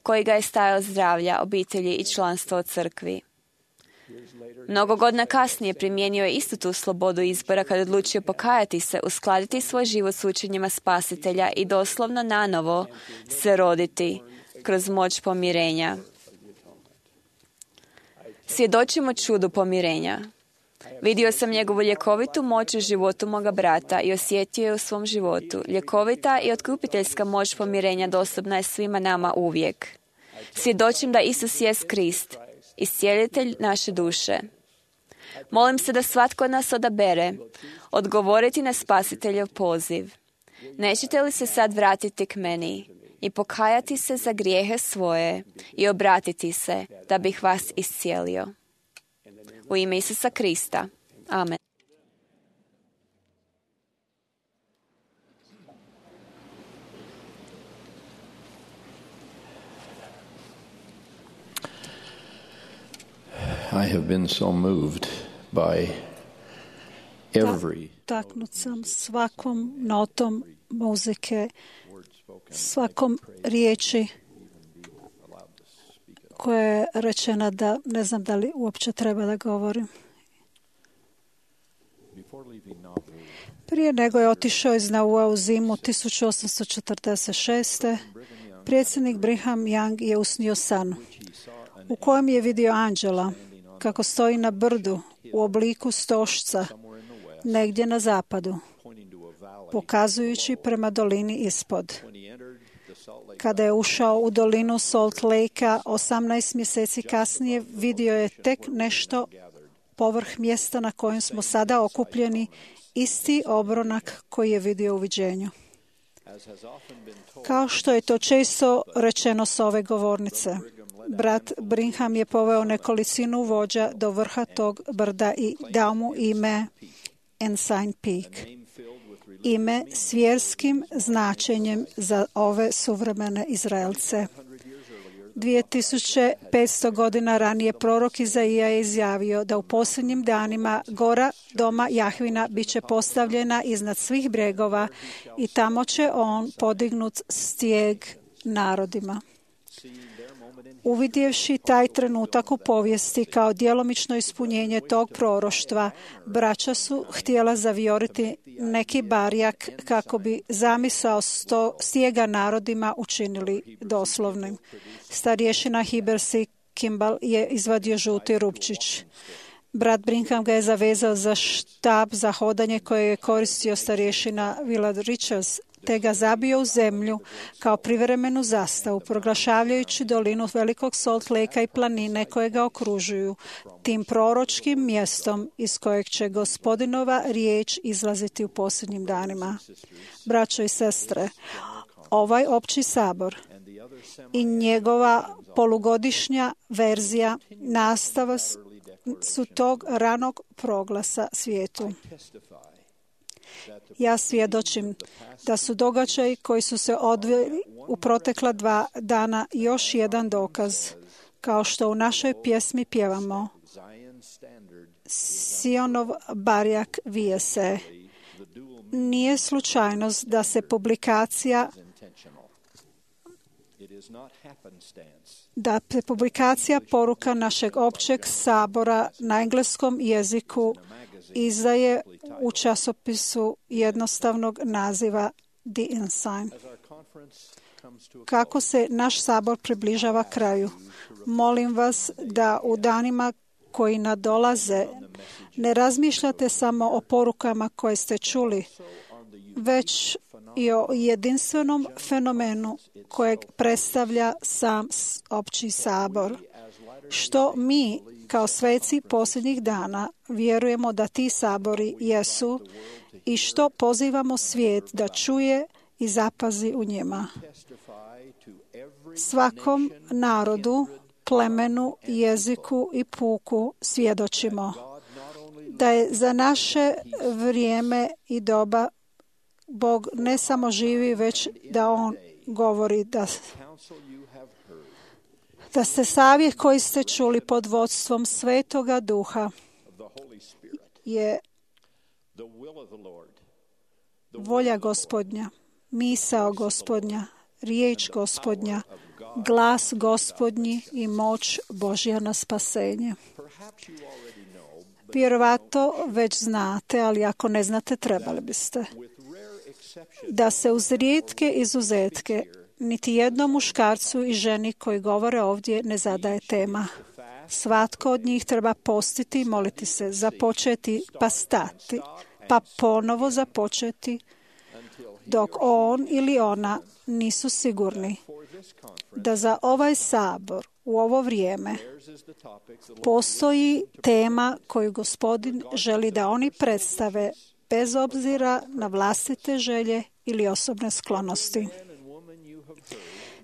koji ga je stajao zdravlja, obitelji i članstva u crkvi. Mnogo godina kasnije primijenio je istu tu slobodu izbora kad odlučio pokajati se, uskladiti svoj život s učenjima Spasitelja i doslovno nanovo se roditi, kroz moć pomirenja. Svjedočimo čudu pomirenja. Vidio sam njegovu ljekovitu moć u životu moga brata i osjetio je u svom životu. Ljekovita i otkupiteljska moć pomirenja dostupna je svima nama uvijek. Svjedočim da Isus jest Krist, iscijelitelj naše duše. Molim se da svatko od nas odabere odgovoriti na Spasiteljev poziv. Nećete li se sad vratiti k meni i pokajati se za grijehe svoje i obratiti se da bih vas iscijelio? U ime Isusa Krista. Amen. I have been so moved by every taknut sam svakom notom muzike, svakom riječi koja je rečena da ne znam da li uopće treba da govorim. Prije nego je otišao iz Naua u zimu tisuću osamsto četrdeset šeste. predsjednik Brigham Young je usnio san u kojem je vidio anđela kako stoji na brdu u obliku stošca negdje na zapadu, pokazujući prema dolini ispod. Kada je ušao u dolinu Salt Lake-a, osamnaest mjeseci kasnije, vidio je tek nešto povrh mjesta na kojem smo sada okupljeni, isti obronak koji je vidio u viđenju. Kao što je to često rečeno s ove govornice, brat Brigham je poveo nekolicinu vođa do vrha tog brda i dao mu ime Ensign Peak, ime s vjerskim značenjem za ove suvremene Izraelce. dvije tisuće petsto godina ranije prorok Izaija je izjavio da u posljednjim danima gora doma Jahvina bit će postavljena iznad svih bregova i tamo će on podignut stijeg narodima. Uvidjevši taj trenutak u povijesti kao djelomično ispunjenje tog proroštva, braća su htjela zavijoriti neki barjak kako bi zamisao sto stijega narodima učinili doslovnim. Starješina Heber C. Kimball je izvadio žuti rupčić. Brat Brigham ga je zavezao za štab za hodanje koje je koristio starješina Willard Richards, te ga zabio u zemlju kao privremenu zastavu, proglašavajući dolinu velikog Salt Lake-a i planine koje ga okružuju, tim proročkim mjestom iz kojeg će Gospodinova riječ izlaziti u posljednjim danima. Braćo i sestre, ovaj opći sabor i njegova polugodišnja verzija nastava su tog ranog proglasa svijetu. Ja svjedočim da su događaji koji su se odvili u protekla dva dana još jedan dokaz, kao što u našoj pjesmi pjevamo Sionov barjak vije se. Nije slučajnost da se publikacija da se publikacija poruka našeg općeg sabora na engleskom jeziku izdaje u časopisu jednostavnog naziva The Ensign. Kako se naš sabor približava kraju, molim vas da u danima koji nadolaze ne razmišljate samo o porukama koje ste čuli, već i o jedinstvenom fenomenu kojeg predstavlja sam opći sabor. Što mi, kao sveci posljednjih dana, vjerujemo da ti sabori jesu i što pozivamo svijet da čuje i zapazi u njima. Svakom narodu, plemenu, jeziku i puku svjedočimo da je za naše vrijeme i doba Bog ne samo živi, već da On govori da, da ste savjet koji ste čuli pod vodstvom Svetoga Duha je volja Gospodnja, misao Gospodnja, riječ Gospodnja, glas Gospodnji i moć Božja na spasenje. Vjerovatno već znate, ali ako ne znate, trebali biste. Da se uz rijetke izuzetke niti jednom muškarcu i ženi koji govore ovdje ne zadaje tema. Svatko od njih treba postiti i moliti se, započeti pa stati, pa ponovo započeti dok on ili ona nisu sigurni da za ovaj sabor u ovo vrijeme postoji tema koju Gospodin želi da oni predstave bez obzira na vlastite želje ili osobne sklonosti.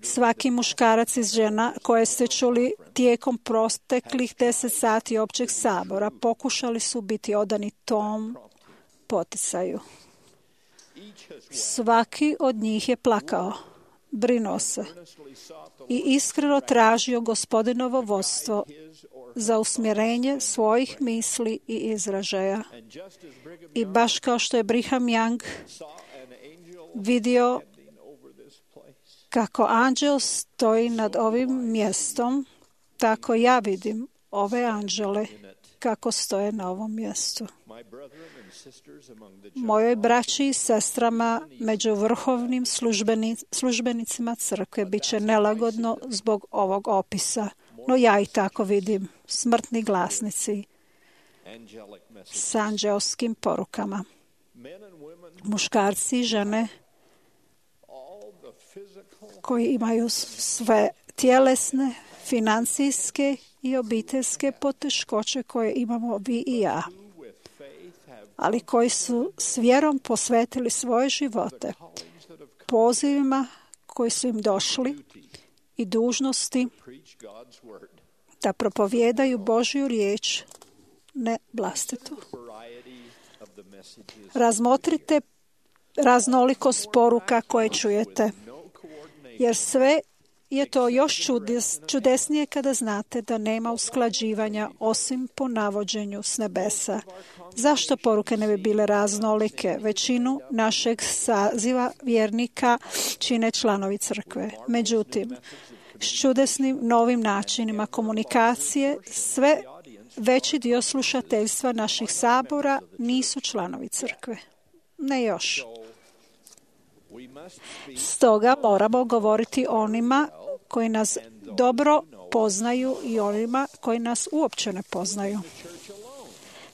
Svaki muškarac i žena koje ste čuli tijekom proteklih deset sati općeg sabora pokušali su biti odani tom poticaju. Svaki od njih je plakao, brinuo se i iskreno tražio Gospodinovo vodstvo za usmjerenje svojih misli i izražaja. I baš kao što je Brigham Young vidio kako anđel stoji nad ovim mjestom, tako ja vidim ove anđele kako stoje na ovom mjestu. Mojoj braći i sestrama među vrhovnim službeni, službenicima crkve bit će nelagodno zbog ovog opisa, no ja i tako vidim smrtni glasnici s anđelskim porukama. Muškarci i žene koji imaju sve tjelesne, financijske i obiteljske poteškoće koje imamo vi i ja, ali koji su s vjerom posvetili svoje živote pozivima koji su im došli i dužnosti da propovijedaju Božju riječ, ne vlastitu. Razmotrite raznolikost poruka koje čujete, jer sve je to još čudes, čudesnije kada znate da nema usklađivanja osim po navođenju s nebesa. Zašto poruke ne bi bile raznolike? Većinu našeg saziva vjernika čine članovi crkve. Međutim, s čudesnim novim načinima komunikacije sve veći dio slušateljstva naših sabora nisu članovi crkve. Ne još. Stoga moramo govoriti onima koji nas dobro poznaju i onima koji nas uopće ne poznaju.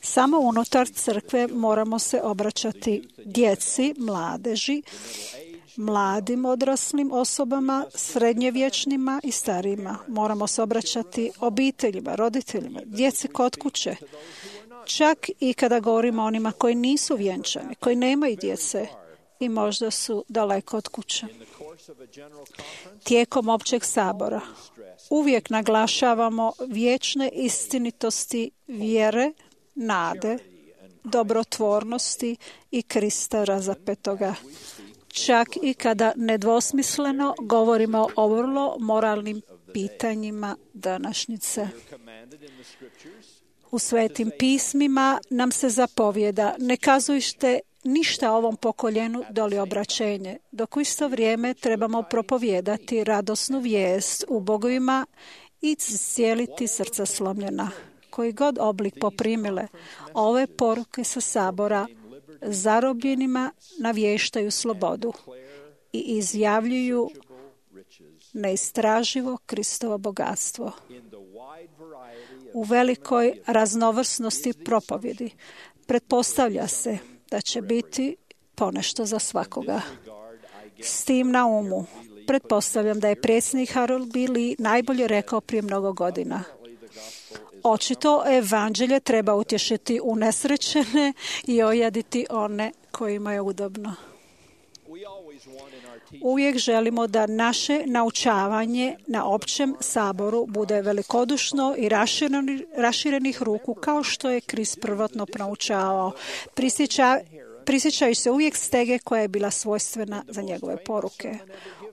Samo unutar crkve moramo se obraćati djeci, mladeži, mladim odraslim osobama, srednjevječnima i starijima. Moramo se obraćati obiteljima, roditeljima, djeci kod kuće. Čak i kada govorimo o onima koji nisu vjenčani, koji nemaju djece i možda su daleko od kuće. Tijekom općeg sabora uvijek naglašavamo vječne istinitosti vjere, nade, dobrotvornosti i Krista razapetoga. Čak i kada nedvosmisleno govorimo o vrlo moralnim pitanjima današnjice. U svetim pismima nam se zapovjeda: ne kazujte ništa ovom pokoljenu doli obraćenje, dok u isto vrijeme trebamo propovijedati radosnu vijest u bogovima i cijeliti srca slomljena. Koji god oblik poprimile, ove poruke sa sabora zarobljenima navještaju slobodu i izjavljuju neistraživo Kristovo bogatstvo. U velikoj raznovrsnosti propovjedi pretpostavlja se da će biti ponešto za svakoga. S tim na umu, pretpostavljam da je predsjednik Harold B. Lee najbolje rekao prije mnogo godina: očito evanđelje treba utješiti unesrećene i ojaditi one kojima je udobno. Uvijek želimo da naše naučavanje na općem saboru bude velikodušno i raširenih ruku, kao što je Krist prvotno proučavao. Prisjeća, prisjećaju se uvijek stege koja je bila svojstvena za njegove poruke.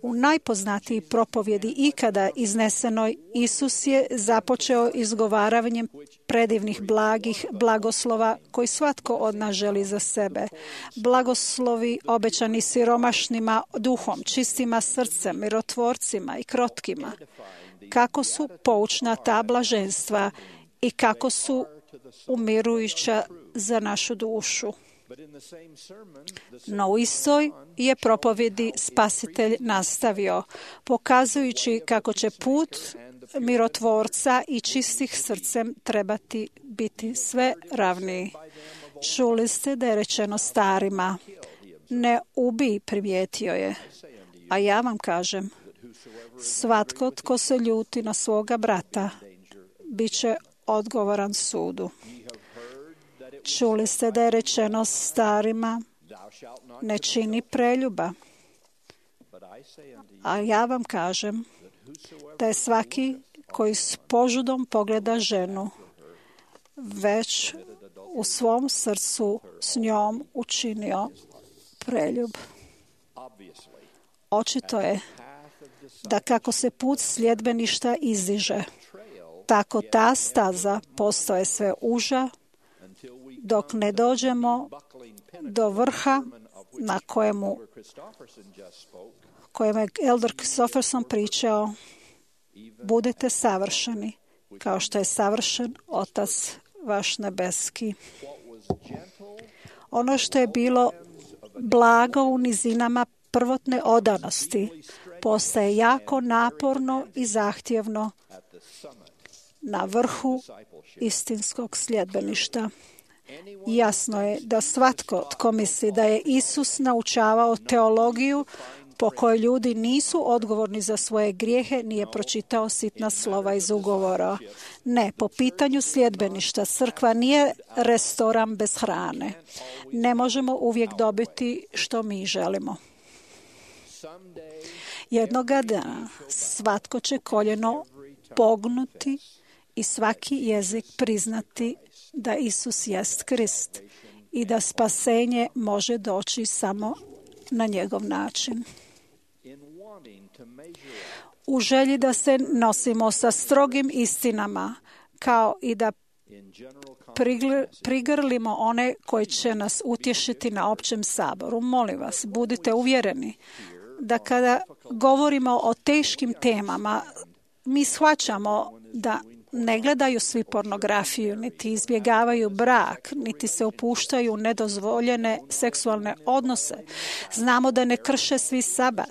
U najpoznatiji propovjedi ikada iznesenoj, Isus je započeo izgovaravanjem predivnih blagih blagoslova koji svatko od nas želi za sebe. Blagoslovi obećani siromašnima duhom, čistima srcem, mirotvorcima i krotkima. Kako su poučna ta blaženstva i kako su umirujuća za našu dušu. No u istoj je propovjedi Spasitelj nastavio, pokazujući kako će put mirotvorca i čistih srcem trebati biti sve ravniji. Čuli ste da je rečeno starima, ne ubij, primijetio je. A ja vam kažem, svatko tko se ljuti na svoga brata, bit će odgovoran sudu. Čuli ste da je rečeno starima, ne čini preljuba. A ja vam kažem da je svaki koji s požudom pogleda ženu, već u svom srcu s njom učinio preljub. Očito je da kako se put sljedbeništva izdiže, tako ta staza postaje sve uža, dok ne dođemo do vrha na kojemu kojem je Elder Christopherson pričao, budite savršeni, kao što je savršen Otac vaš nebeski. Ono što je bilo blago u nizinama prvotne odanosti, postaje jako naporno i zahtjevno na vrhu istinskog sljedbeništva. Jasno je da svatko tko misli da je Isus naučavao teologiju po kojoj ljudi nisu odgovorni za svoje grijehe, nije pročitao sitna slova iz ugovora. Ne, po pitanju sljedbeništva crkva nije restoran bez hrane. Ne možemo uvijek dobiti što mi želimo. Jednoga dana svatko će koljeno pognuti i svaki jezik priznati da Isus jest Krist i da spasenje može doći samo na njegov način. U želji da se nosimo sa strogim istinama, kao i da prigrlimo one koji će nas utješiti na općem saboru. Molim vas, budite uvjereni da kada govorimo o teškim temama, mi shvaćamo da ne gledaju svi pornografiju, niti izbjegavaju brak, niti se upuštaju u nedozvoljene seksualne odnose. Znamo da ne krše svi sabat,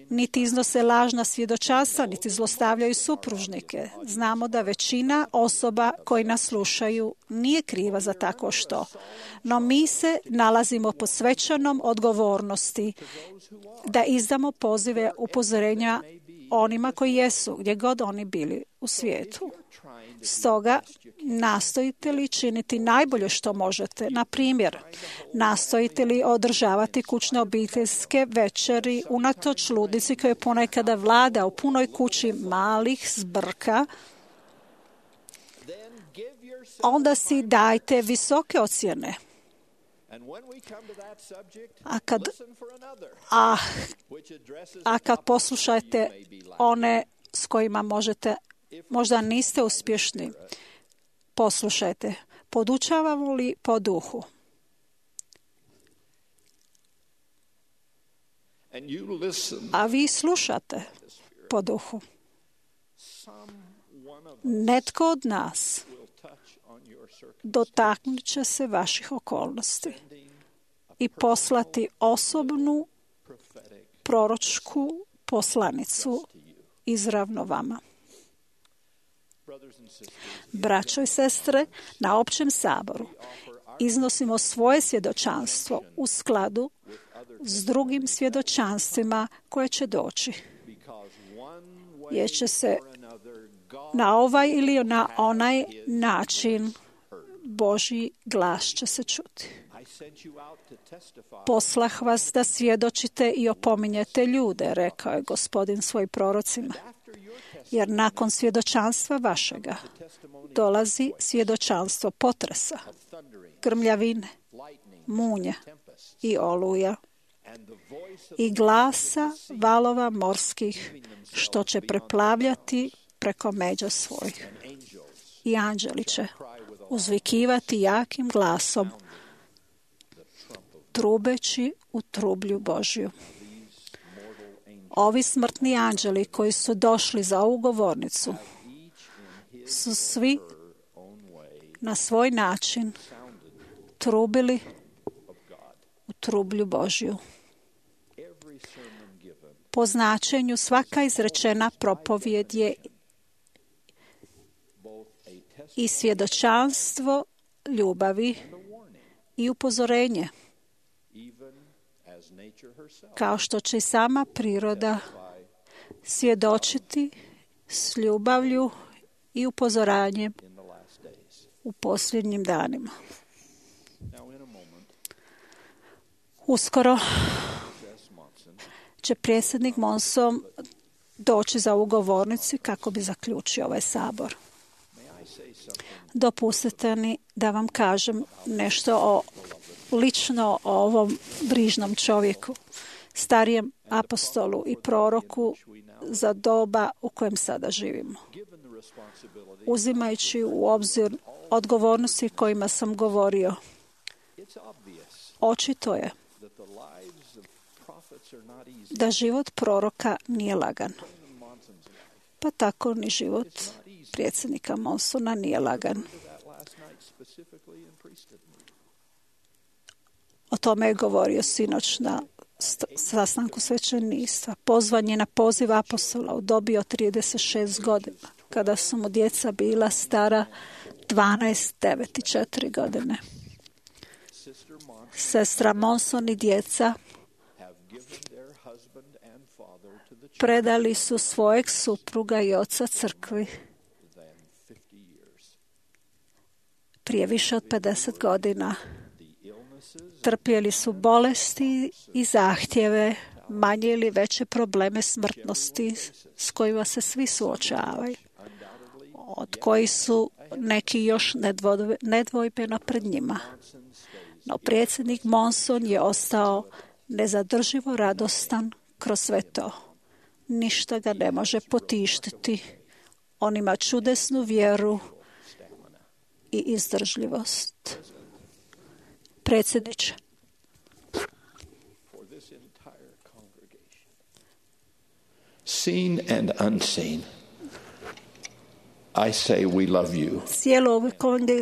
niti iznose lažna svjedočanstva, niti zlostavljaju supružnike. Znamo da većina osoba koji nas slušaju nije kriva za tako što. No mi se nalazimo pod svečanom odgovornosti da izdamo pozive upozorenja onima koji jesu, gdje god oni bili u svijetu. Stoga, nastojite li činiti najbolje što možete? Na primjer, nastojite li održavati kućne obiteljske večeri unatoč ludici koje ponekada vlada u punoj kući malih zbrka? Onda si dajte visoke ocjene. A kad, a, a kad poslušajte one s kojima možete, možda niste uspješni, poslušajte. Podučavamo li po duhu? A vi slušate po duhu. Netko od nas dotaknut će se vaših okolnosti i poslati osobnu proročku poslanicu izravno vama. Braćo i sestre, na općem saboru iznosimo svoje svjedočanstvo u skladu s drugim svjedočanstvima koje će doći. Jer će se na ovaj ili na onaj način Božji glas će se čuti. Poslah vas da svjedočite i opominjete ljude, rekao je Gospodin svojim prorocima. Jer nakon svjedočanstva vašega dolazi svjedočanstvo potresa, grmljavine, munje i oluja i glasa valova morskih što će preplavljati preko međa svojih. I anđeli će uzvikivati jakim glasom, trubeći u trublju Božju. Ovi smrtni anđeli koji su došli za ovu govornicu su svi na svoj način trubili u trublju Božju. Po značenju svaka izrečena propovjed je i svjedočanstvo ljubavi i upozorenje, kao što će i sama priroda svjedočiti s ljubavlju i upozoranjem u posljednjim danima. Uskoro će predsjednik Monson doći za ovu govornicu kako bi zaključio ovaj sabor. Dopustite mi da vam kažem nešto o, lično o ovom brižnom čovjeku, starijem apostolu i proroku za doba u kojem sada živimo. Uzimajući u obzir odgovornosti kojima sam govorio, očito je da život proroka nije lagan. Pa tako ni život predsjednika Monsona nije lagan. O tome je govorio sinoć na sastanku svećeništva. Pozvan je na poziv apostola u dobi od trideset šest godina, kada su mu djeca bila stara dvanaest, devet i četiri godine. Sestra Monson i djeca predali su svojeg supruga i oca crkvi prije više od pedeset godina. Trpjeli su bolesti i zahtjeve, manje ili veće probleme smrtnosti s kojima se svi suočavaju, od kojih su neki još nedvojbeno pred njima. No predsjednik Monson je ostao nezadrživo radostan kroz sve to. Ništa ga ne može potištiti. On ima čudesnu vjeru i izdržljivost. Predsjedniče, seen and unseen, I say we love you. Cijelu ovu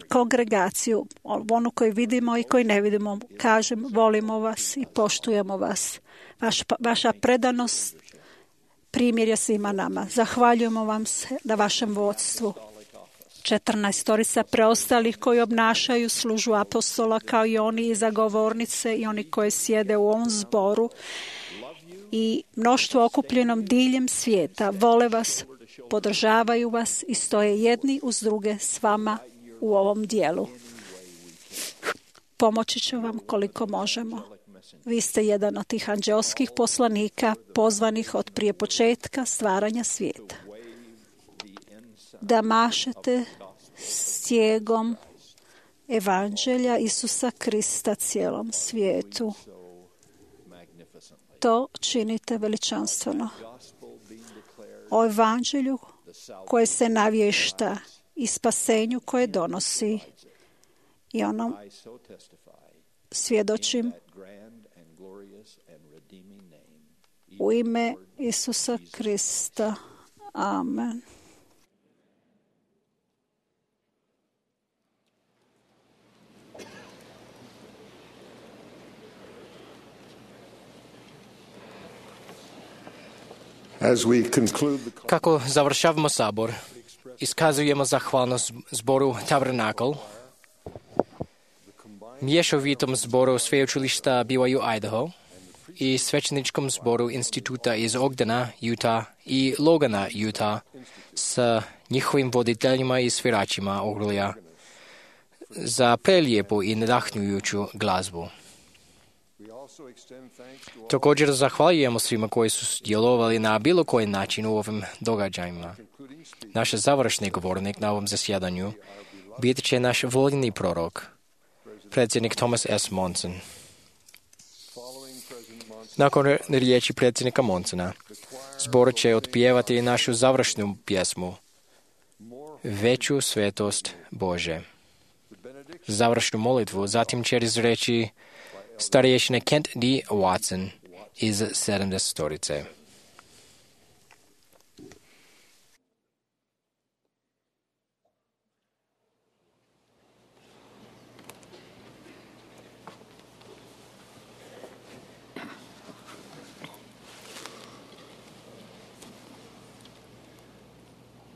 kongregaciju, onu koju vidimo i koju ne vidimo, kažem, volimo vas i poštujemo vas. Vaš, vaša predanost primjer je svima nama. Zahvaljujemo vam se na vašem vodstvu. Četrnaestorica preostalih koji obnašaju službu apostola, kao i oni iza govornice i oni koji sjede u ovom zboru i mnoštvo okupljenom diljem svijeta, vole vas, podržavaju vas i stoje jedni uz druge s vama u ovom dijelu. Pomoći ću vam koliko možemo. Vi ste jedan od tih anđelskih poslanika pozvanih od prije početka stvaranja svijeta. Da mašete stjegom evanđelja Isusa Krista cijelom svijetu. To činite veličanstveno. O evanđelju koje se navješta i spasenju koje donosi i onom svjedočim u ime Isusa Krista. Amen. Kako završavamo sabor, iskazujemo zahvalnost zboru Tabernakl, mješovitom zboru sveučilišta B Y U Idaho i svećeničkom zboru instituta iz Ogdena, Utah i Logana, Utah, sa njihovim voditeljima i sviračima ogrlja za prelijepu i nadahnjujuću glazbu. Također zahvaljujemo svima koji su djelovali na bilo koji način u ovim događajima. Naš završni govornik na ovom zasjedanju bit će naš voljeni prorok, predsjednik Thomas S. Monson. Nakon riječi predsjednika Monsona, zbor će otpjevati našu završnu pjesmu Veću svetost Bože. Završnu molitvu zatim će izreći starješine Kent D. Watson iz sedamdesetorice.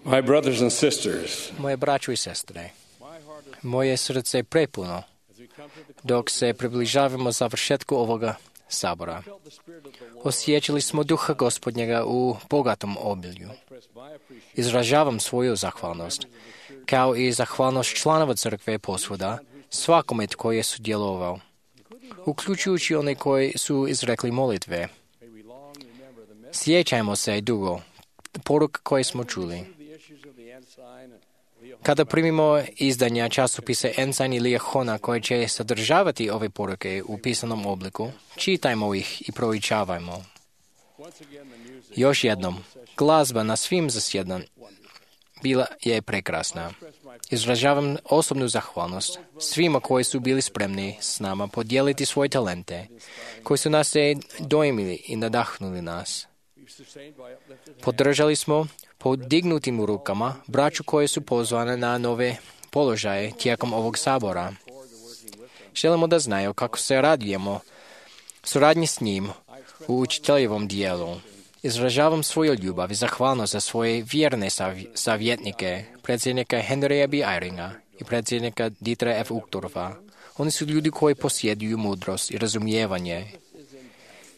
My brothers and sisters, Moje braćo i sestre, moje srce je prepuno dok se približavamo završetku ovoga sabora. Osjećali smo duha Gospodnjega u bogatom obilju. Izražavam svoju zahvalnost, kao i zahvalnost članova crkve posvuda, svakome tko je sudjelovao, uključujući one koji su izrekli molitve. Sjećajmo se dugo poruka koje smo čuli. Kada primimo izdanja časopisa Ensign ili Jehona koje će sadržavati ove poruke u pisanom obliku, čitajmo ih i proučavajmo. Još jednom, glazba na svim zasjedanjima bila je prekrasna. Izražavam osobnu zahvalnost svima koji su bili spremni s nama podijeliti svoje talente, koji su nas se dojmili i nadahnuli nas. Podržali smo podignutim rukama braću koje su pozvane na nove položaje tijekom ovog sabora. Želimo da znaju kako se radujemo suradnji s njim u učiteljevom dijelu. Izražavam svoju ljubav i zahvalnost za svoje vjerne savjetnike, predsjednika Henrya B. Eyringa i predsjednika Dietera F. Uchtdorfa. Oni su ljudi koji posjeduju mudrost i razumijevanje.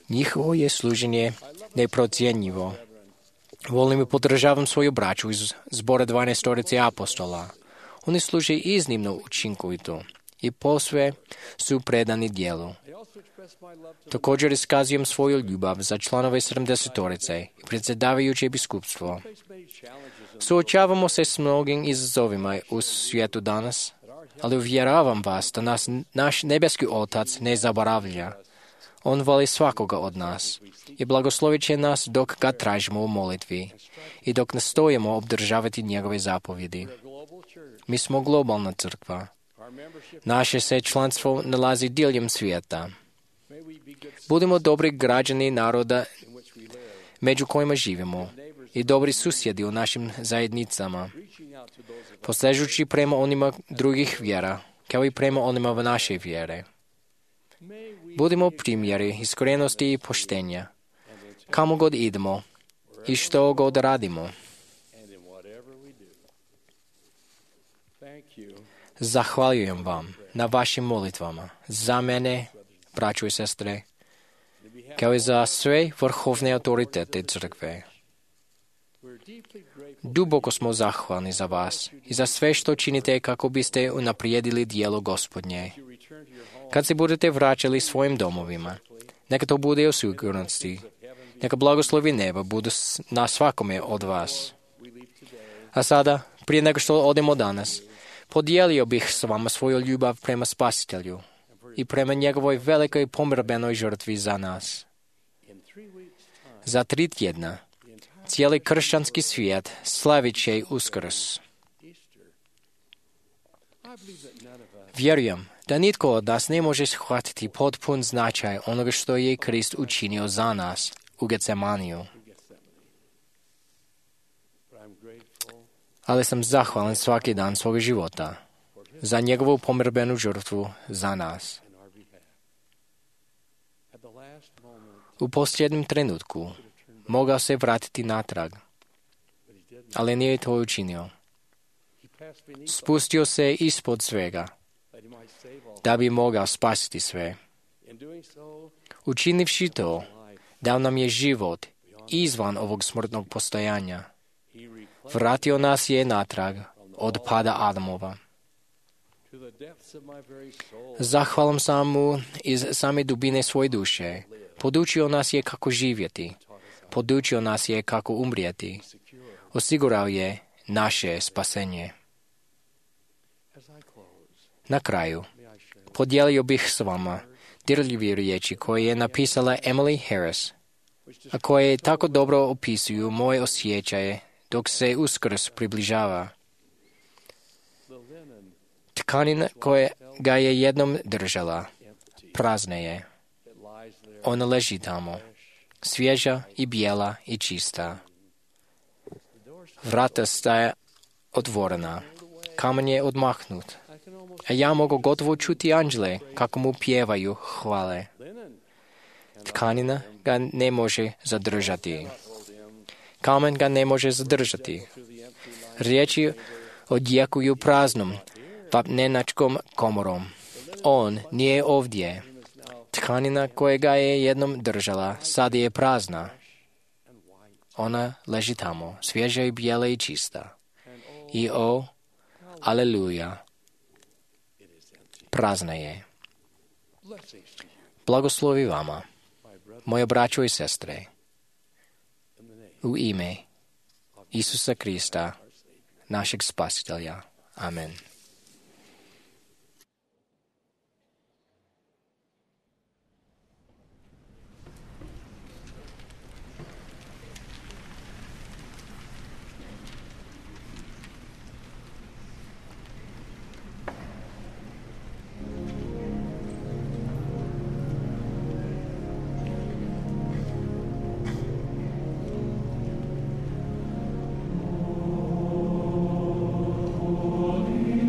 Njihovo je služenje neprocjenjivo. Volim i podržavam svoju braću iz zbora dvanaestorice apostola. Oni služe iznimno učinkovito i posve su predani dijelu. Također iskazujem svoju ljubav za članove sedamdesetorice i predsjedavajuće biskupstvo. Suočavamo se s mnogim izazovima u svijetu danas, ali uvjeravam vas da nas naš nebeski Otac ne zaboravlja. On voli svakoga od nas i blagoslovit će nas dok ga tražimo u molitvi i dok nastojimo obdržavati njegove zapovjedi. Mi smo globalna crkva. Naše se članstvo nalazi diljem svijeta. Budimo dobri građani naroda među kojima živimo i dobri susjedi u našim zajednicama, posežući prema onima drugih vjera, kao i prema onima v naše vjere. Budimo primjeri iskrenosti i poštenja, kamo god idemo i što god radimo. Zahvaljujem vam na vašim molitvama za mene, braćo i sestre, kao i za sve vrhovne autoritete crkve. Duboko smo zahvalni za vas i za sve što činite kako biste unaprijedili dijelo Gospodnje. Kad se budete vraćali svojim domovima, neka to bude u sigurnosti. Neka blagoslovi neba budu na svakome od vas. A sada, prije nego što odemo danas, podijelio bih s vama svoju ljubav prema Spasitelju i prema njegovoj velikoj pomirbenoj žrtvi za nas. Za tri tjedna cijeli kršćanski svijet slavit će Uskrs. Vjerujem da nitko od nas ne može shvatiti potpun značaj onoga što je Krist učinio za nas u Getsemaniju. Ali sam zahvalan svaki dan svoga života za njegovu pomirbenu žrtvu za nas. U posljednjem trenutku mogao se vratiti natrag, ali nije to učinio. Spustio se ispod svega, da bi mogao spasiti sve. Učinivši to, dao nam je život izvan ovog smrtnog postojanja. Vratio nas je natrag od pada Adamova. Zahvalam sam mu iz same dubine svoje duše. Podučio nas je kako živjeti. Podučio nas je kako umrijeti. Osigurao je naše spasenje. Na kraju, podijelio bih s vama dirljive riječi koje je napisala Emily Harris, a koje tako dobro opisuju moje osjećaje dok se Uskrs približava. Tkanina koja ga je jednom držala, prazna je. Ona leži tamo, svježa i bijela i čista. Vrata staje otvorena, kamen je odmahnut, a ja mogu gotovo čuti anđele kako mu pjevaju hvale. Tkanina ga ne može zadržati. Kamen ga ne može zadržati. Riječi odjekuju praznom, vapnenačkom komorom. On nije ovdje. Tkanina kojega je jednom držala, sad je prazna. Ona leži tamo, svježa i bijela i čista. I o, aleluja, prazna je. Blagoslovi vama, moje braćo i sestre, u ime Isusa Krista, našeg Spasitelja. Amen. Holy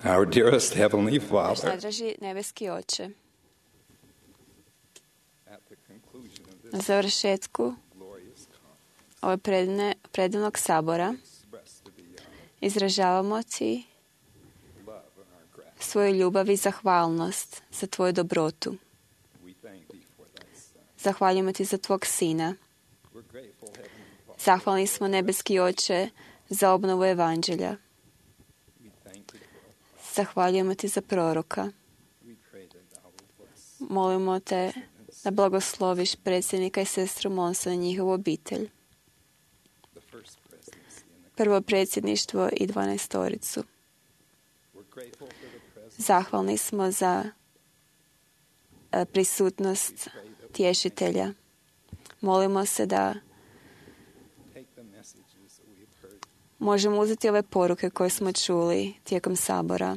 Our dearest Heavenly Naš Father, najdraži nebeski Oče, at the conclusion of na this završetku glorious conference, ove predivne, predivnog sabora express to thee our izražavamo Ti love and our gratitude. svoju ljubav i zahvalnost za Tvoju dobrotu. We thank thee for thy Son. Zahvaljujemo Ti za Tvog Sina. We're grateful, Heavenly Father. Zahvalni smo, nebeski Oče, za obnovu Evanđelja. We thank thee for Zahvaljujemo Ti za proroka. we pray that thou wilt bless Molimo Te da blagosloviš predsjednika i sestru Monsa i njihovu obitelj. the first presidency and the Prvo predsjedništvo i dvanaestoricu. we're grateful for the presence Zahvalni smo za e, prisutnost tješitelja. Molimo se da take the messages that we have heard možemo uzeti ove poruke koje smo čuli tijekom sabora,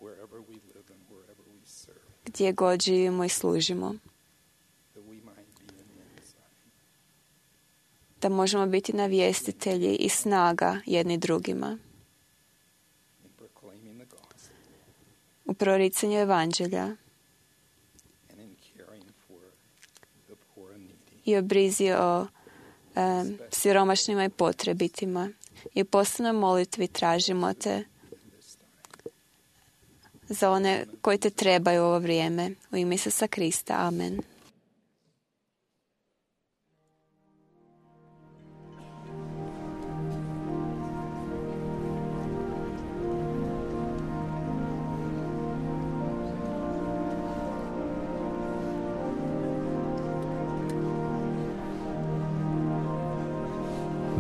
wherever we live and wherever we serve, gdje god živimo i služimo, that we might be an insight da možemo biti navjestitelji i snaga jedni drugima in proclaiming the gospel u proricanju Evanđelja and in caring for the poor and needy. i o brizi o em, siromašnima i potrebitima. I u posebnoj molitvi tražimo Te za one koji Te trebaju u ovo vrijeme. U ime Isusa Krista. Amen.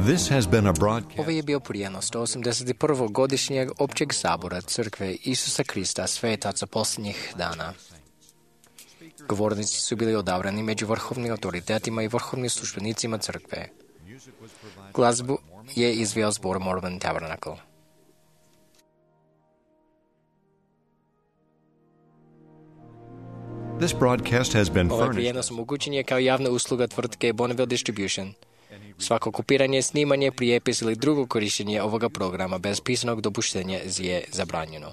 This has been a broadcast. Ovo je bio prijenos sto osamdeset prvog godišnjeg općeg sabora Crkve Isusa Krista svetaca posljednjih dana. Govornici su bili odabrani među vrhovnim autoritetima i vrhovnim službenicima crkve. Glazbu je izveo zbor Mormon Tabernacle. This broadcast has been Ovaj furnished. prijenos omogućen je kao javna usluga tvrtke Bonneville Distribution. Svako kopiranje, snimanje, prijepis ili drugo korištenje ovoga programa bez pisanog dopuštenja je zabranjeno.